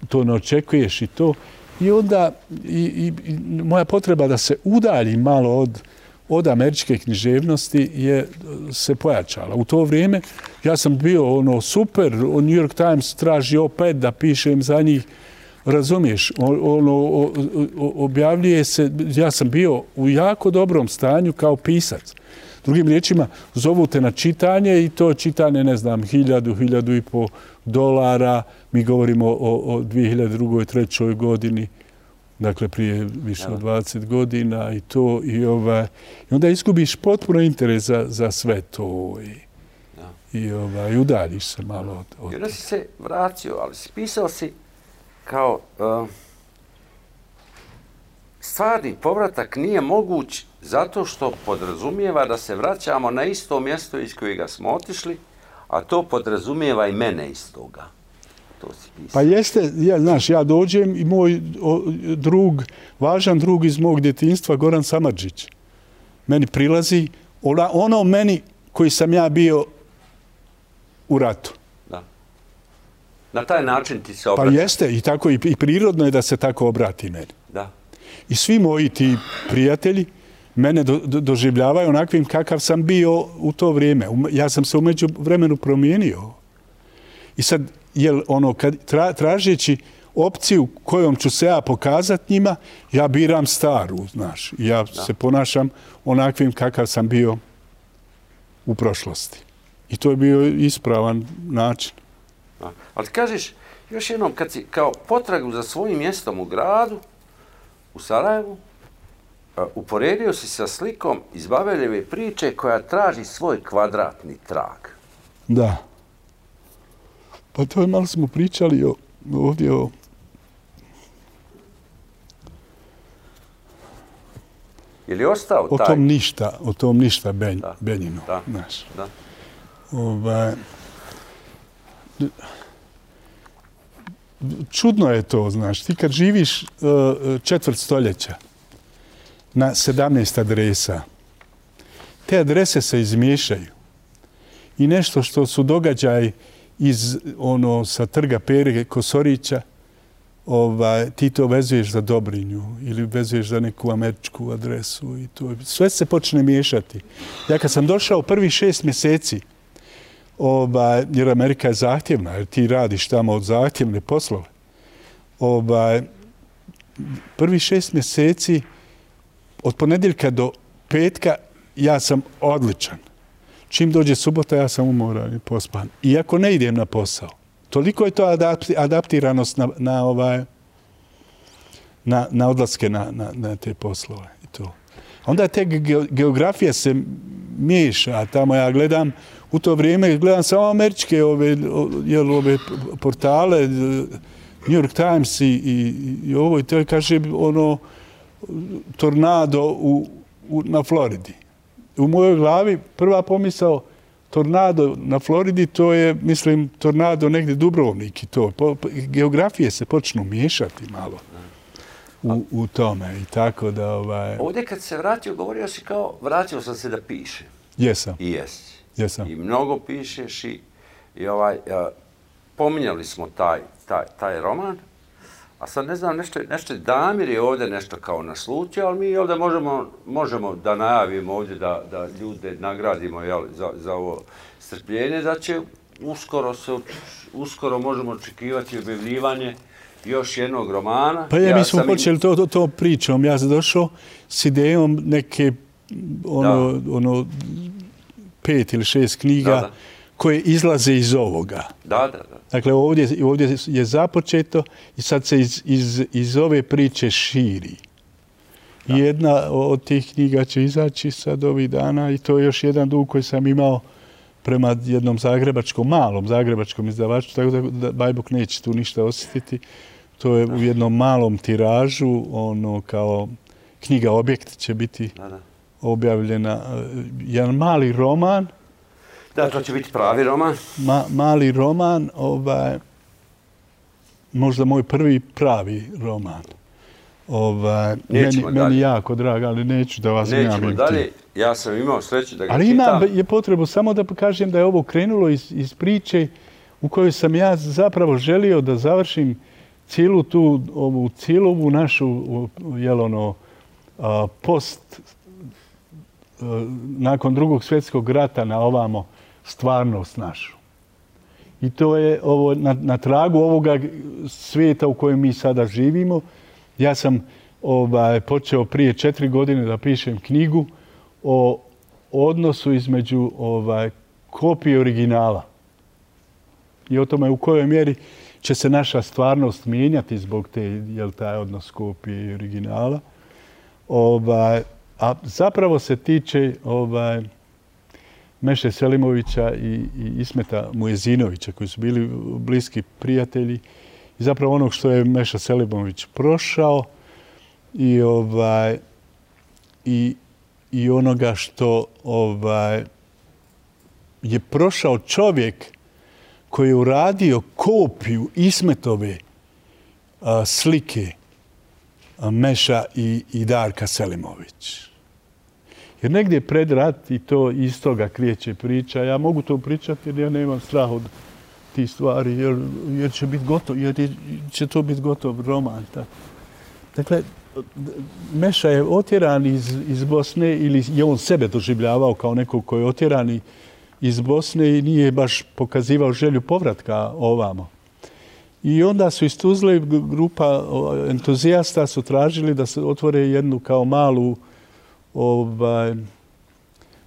to ne očekuješ i to. I onda moja potreba da se udalji malo od američke književnosti se pojačala. U to vrijeme ja sam bio super, New York Times traži opet da pišem za njih. Razumiješ, objavljuje se, ja sam bio u jako dobrom stanju kao pisac. Drugim riječima, zovu te na čitanje i to čitanje, ne znam, $1,000–1,500. Mi govorimo o 2002. 2003. godini, dakle prije više od 20 godina i to. I onda izgubiš potpuno interes za sve to i udaljiš se malo od... I onda si se vratio, ali si pisao si kao stvarni povratak nije moguć zato što podrazumijeva da se vraćamo na isto mjesto iz kojega smo otišli, a to podrazumijeva i mene iz toga. To si pisao. Pa jeste, znaš, ja dođem i moj važan drug iz mog djetinjstva, Goran Samardžić, meni prilazi, ono meni koji sam ja bio u ratu. Na taj način ti se obraća. Pa jeste, i tako i prirodno je da se tako obrati meni. Da. I svi moji ti prijatelji mene doživljavaju onakvim kakav sam bio u to vrijeme. Ja sam se umeđu vremenu promijenio. I sad, tražeći opciju kojom ću se ja pokazati njima, ja biram staru, znaš. Ja se ponašam onakvim kakav sam bio u prošlosti. I to je bio ispravan način. Ali kažeš, još jednom, kad si kao potragu za svojim mjestom u gradu, u Sarajevu, uporedio si sa slikom iz Babeljeve priče koja traži svoj kvadratni trag. Da. Pa to je malo smo pričali ovdje o... Je li ostao taj? O tom ništa Benjinu. Znaš. Da. Čudno je to, znaš. Ti kad živiš četvrt stoljeća na 17 adresa, te adrese se izmiješaju. I nešto što su događaj sa trga Pere Kosorića, ti to vezuješ za Dobrinju ili vezuješ za neku američku adresu. I to, sve se počne miješati. Ja kad sam došao prvih 6 mjeseci, jer Amerika je zahtjevna, jer ti radiš tamo od zahtjevne poslove, prvih 6 mjeseci, od ponedjeljka do petka, ja sam odličan. Čim dođe subota, ja sam umoran i pospan. Iako ne idem na posao. Toliko je to adaptiranost na odlaske na te poslove. I to. Onda te geografija se miješa. Tamo ja gledam, u to vrijeme gledam samo američke ove portale, New York Times i ovo. I to kaže tornado na Floridi. U mojoj glavi prva pomisao tornado na Floridi, to je, mislim, tornado negdje Dubrovnik i to. Geografije se počnu miješati malo u tome i tako da... Ovdje kad se vratio, govorio si kao, vratio sam se da piše. Jesam. I jesi. Jesam. I mnogo pišeš i pominjali smo taj roman, a sad ne znam, nešto Damir je ovdje nešto kao naslutio, ali mi ovdje možemo da najavimo ovdje da ljude nagradimo za ovo strpljenje, da će uskoro možemo očekivati objavljivanje još jednog romana. Pa mi smo počeli to pričom. Ja sam došao s idejom neke 5 ili 6 knjiga koje izlaze iz ovoga. Da. Dakle, ovdje je započeto i sad se iz ove priče širi. Da. Jedna od tih knjiga će izaći sad ovih dana i to je još jedan dug koji sam imao prema jednom malom zagrebačkom izdavaču, tako da Bajbuk neće tu ništa osjetiti. To je u jednom malom tiražu, kao knjiga Objekt će biti objavljena. Jedan mali roman. Da, to će biti pravi roman. Mali roman, možda moj prvi pravi roman. Meni jako drag, ali neću da vas njavim. Nećemo dalje. Ja sam imao sreću da ga ali čitam. Ali je potrebu samo da kažem da je ovo krenulo iz priče u kojoj sam ja zapravo želio da završim cijelu ovu našu nakon Drugog svjetskog rata na ovamo stvarnost našu. I to je na tragu ovoga svijeta u kojem mi sada živimo. Ja sam počeo prije 4 godine da pišem knjigu o odnosu između kopije i originala. I o tome u kojoj mjeri će se naša stvarnost mijenjati zbog taj odnos kopije i originala. A zapravo se tiče Meše Selimovića i Ismeta Mujezinovića, koji su bili bliski prijatelji. I zapravo onog što je Meša Selimović prošao i onoga što je prošao čovjek koji je uradio kopiju Ismetove slike Meša i Darka Selimović. Jer negdje pred rat i to iz toga krijeće priča. Ja mogu to pričati jer ja nemam strah od tih stvari, jer će biti gotov, jer će to biti gotov roman. Tako. Dakle, Meša je otjeran iz Bosne ili je on sebe doživljavao kao nekog koji je otjeran iz Bosne i nije baš pokazivao želju povratka ovamo. I onda su iz Tuzle grupa entuzijasta su tražili da se otvore jednu kao malu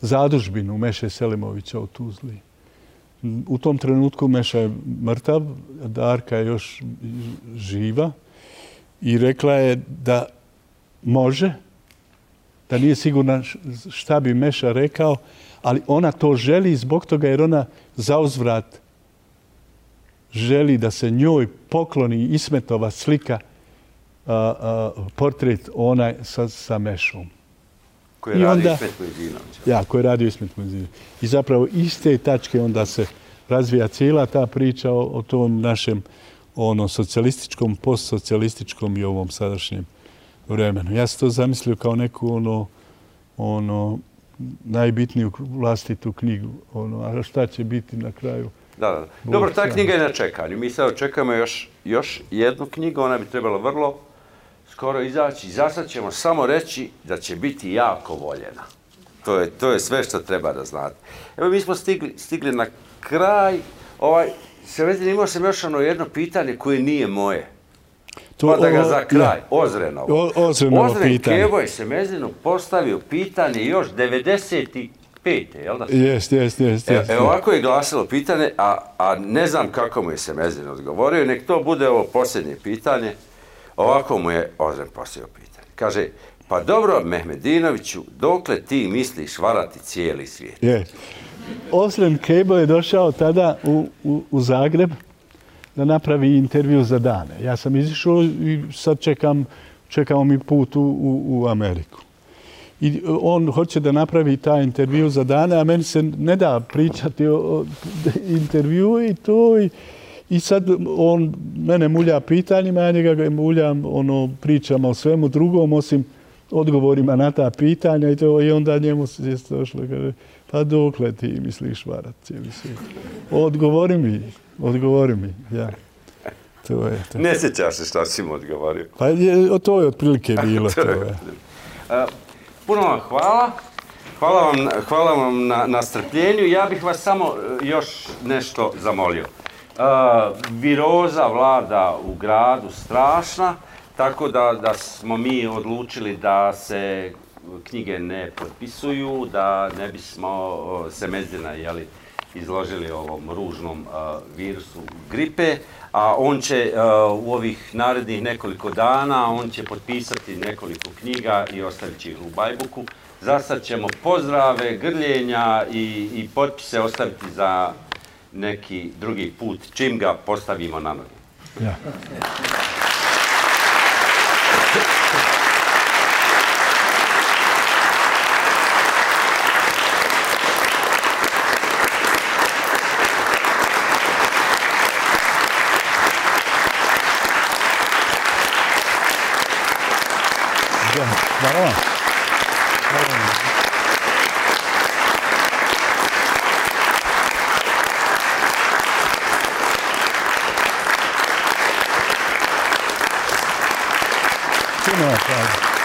zadužbinu Meše Selimovića u Tuzli. U tom trenutku Meša je mrtav, Darka je još živa i rekla je da može, da nije sigurna šta bi Meša rekao, ali ona to želi zbog toga jer ona zauzvrat želi da se njoj pokloni Ismetova slika, portret onaj sa Mešom. Koji je radio Ismet Mojzinović. Ja, koji je radio Ismet Mojzinović. I zapravo iz te tačke onda se razvija cijela ta priča o tom našem socijalističkom, postsocijalističkom i ovom sadašnjem vremenu. Ja sam to zamislio kao neku najbitniju vlastitu knjigu. A šta će biti na kraju? Da. Dobro, ta knjiga je na čekanju. Mi sad očekujemo još jednu knjigu. Ona bi trebala vrlo skoro izaći. Za sad ćemo samo reći da će biti jako voljena. To je sve što treba da znate. Evo, mi smo stigli na kraj. Semezin, imao sam još jedno pitanje koje nije moje. Pa da ga za kraj. Ozrenovo. Ozren Keboj Semezinu postavio pitanje još 95. Jel da? Jest. Evo, ovako je glasilo pitanje, a ne znam kako mu je Semezin odgovorio. Nek to bude ovo posljednje pitanje. Ovako mu je Ozren postavio pitanje. Kaže, pa dobro, Mehmedinoviću, dokle ti misliš varati cijeli svijet? Ozren Keboj je došao tada u Zagreb da napravi intervju za Dane. Ja sam izišao i sad čekamo mi put u Ameriku. I on hoće da napravi taj intervju za Dane, a meni se ne da pričati o intervju i to. I sad on mene mulja pitanjima, ja njega muljam, pričamo o svemu drugom, osim odgovorima na ta pitanja i onda njemu se došlo, kaže, pa dokle ti misliš varat cijeli svijet? Odgovori mi, ja. To je to. Ne sjećaš se šta si mu odgovorio. Pa to je otprilike bilo. Puno vam hvala. Hvala vam na strpljenju. Ja bih vas samo još nešto zamolio. Viroza vlada u gradu strašna, tako da smo mi odlučili da se knjige ne potpisuju, da ne bismo Semezina izložili ovom ružnom virusu gripe, a on će u ovih narednih nekoliko dana, on će potpisati nekoliko knjiga i ostavit će ih u Bajbuku. Za sad ćemo pozdrave, grljenja i potpise ostaviti za neki drugi put, čim ga postavimo na noge. Ja. Hvala. Hvala.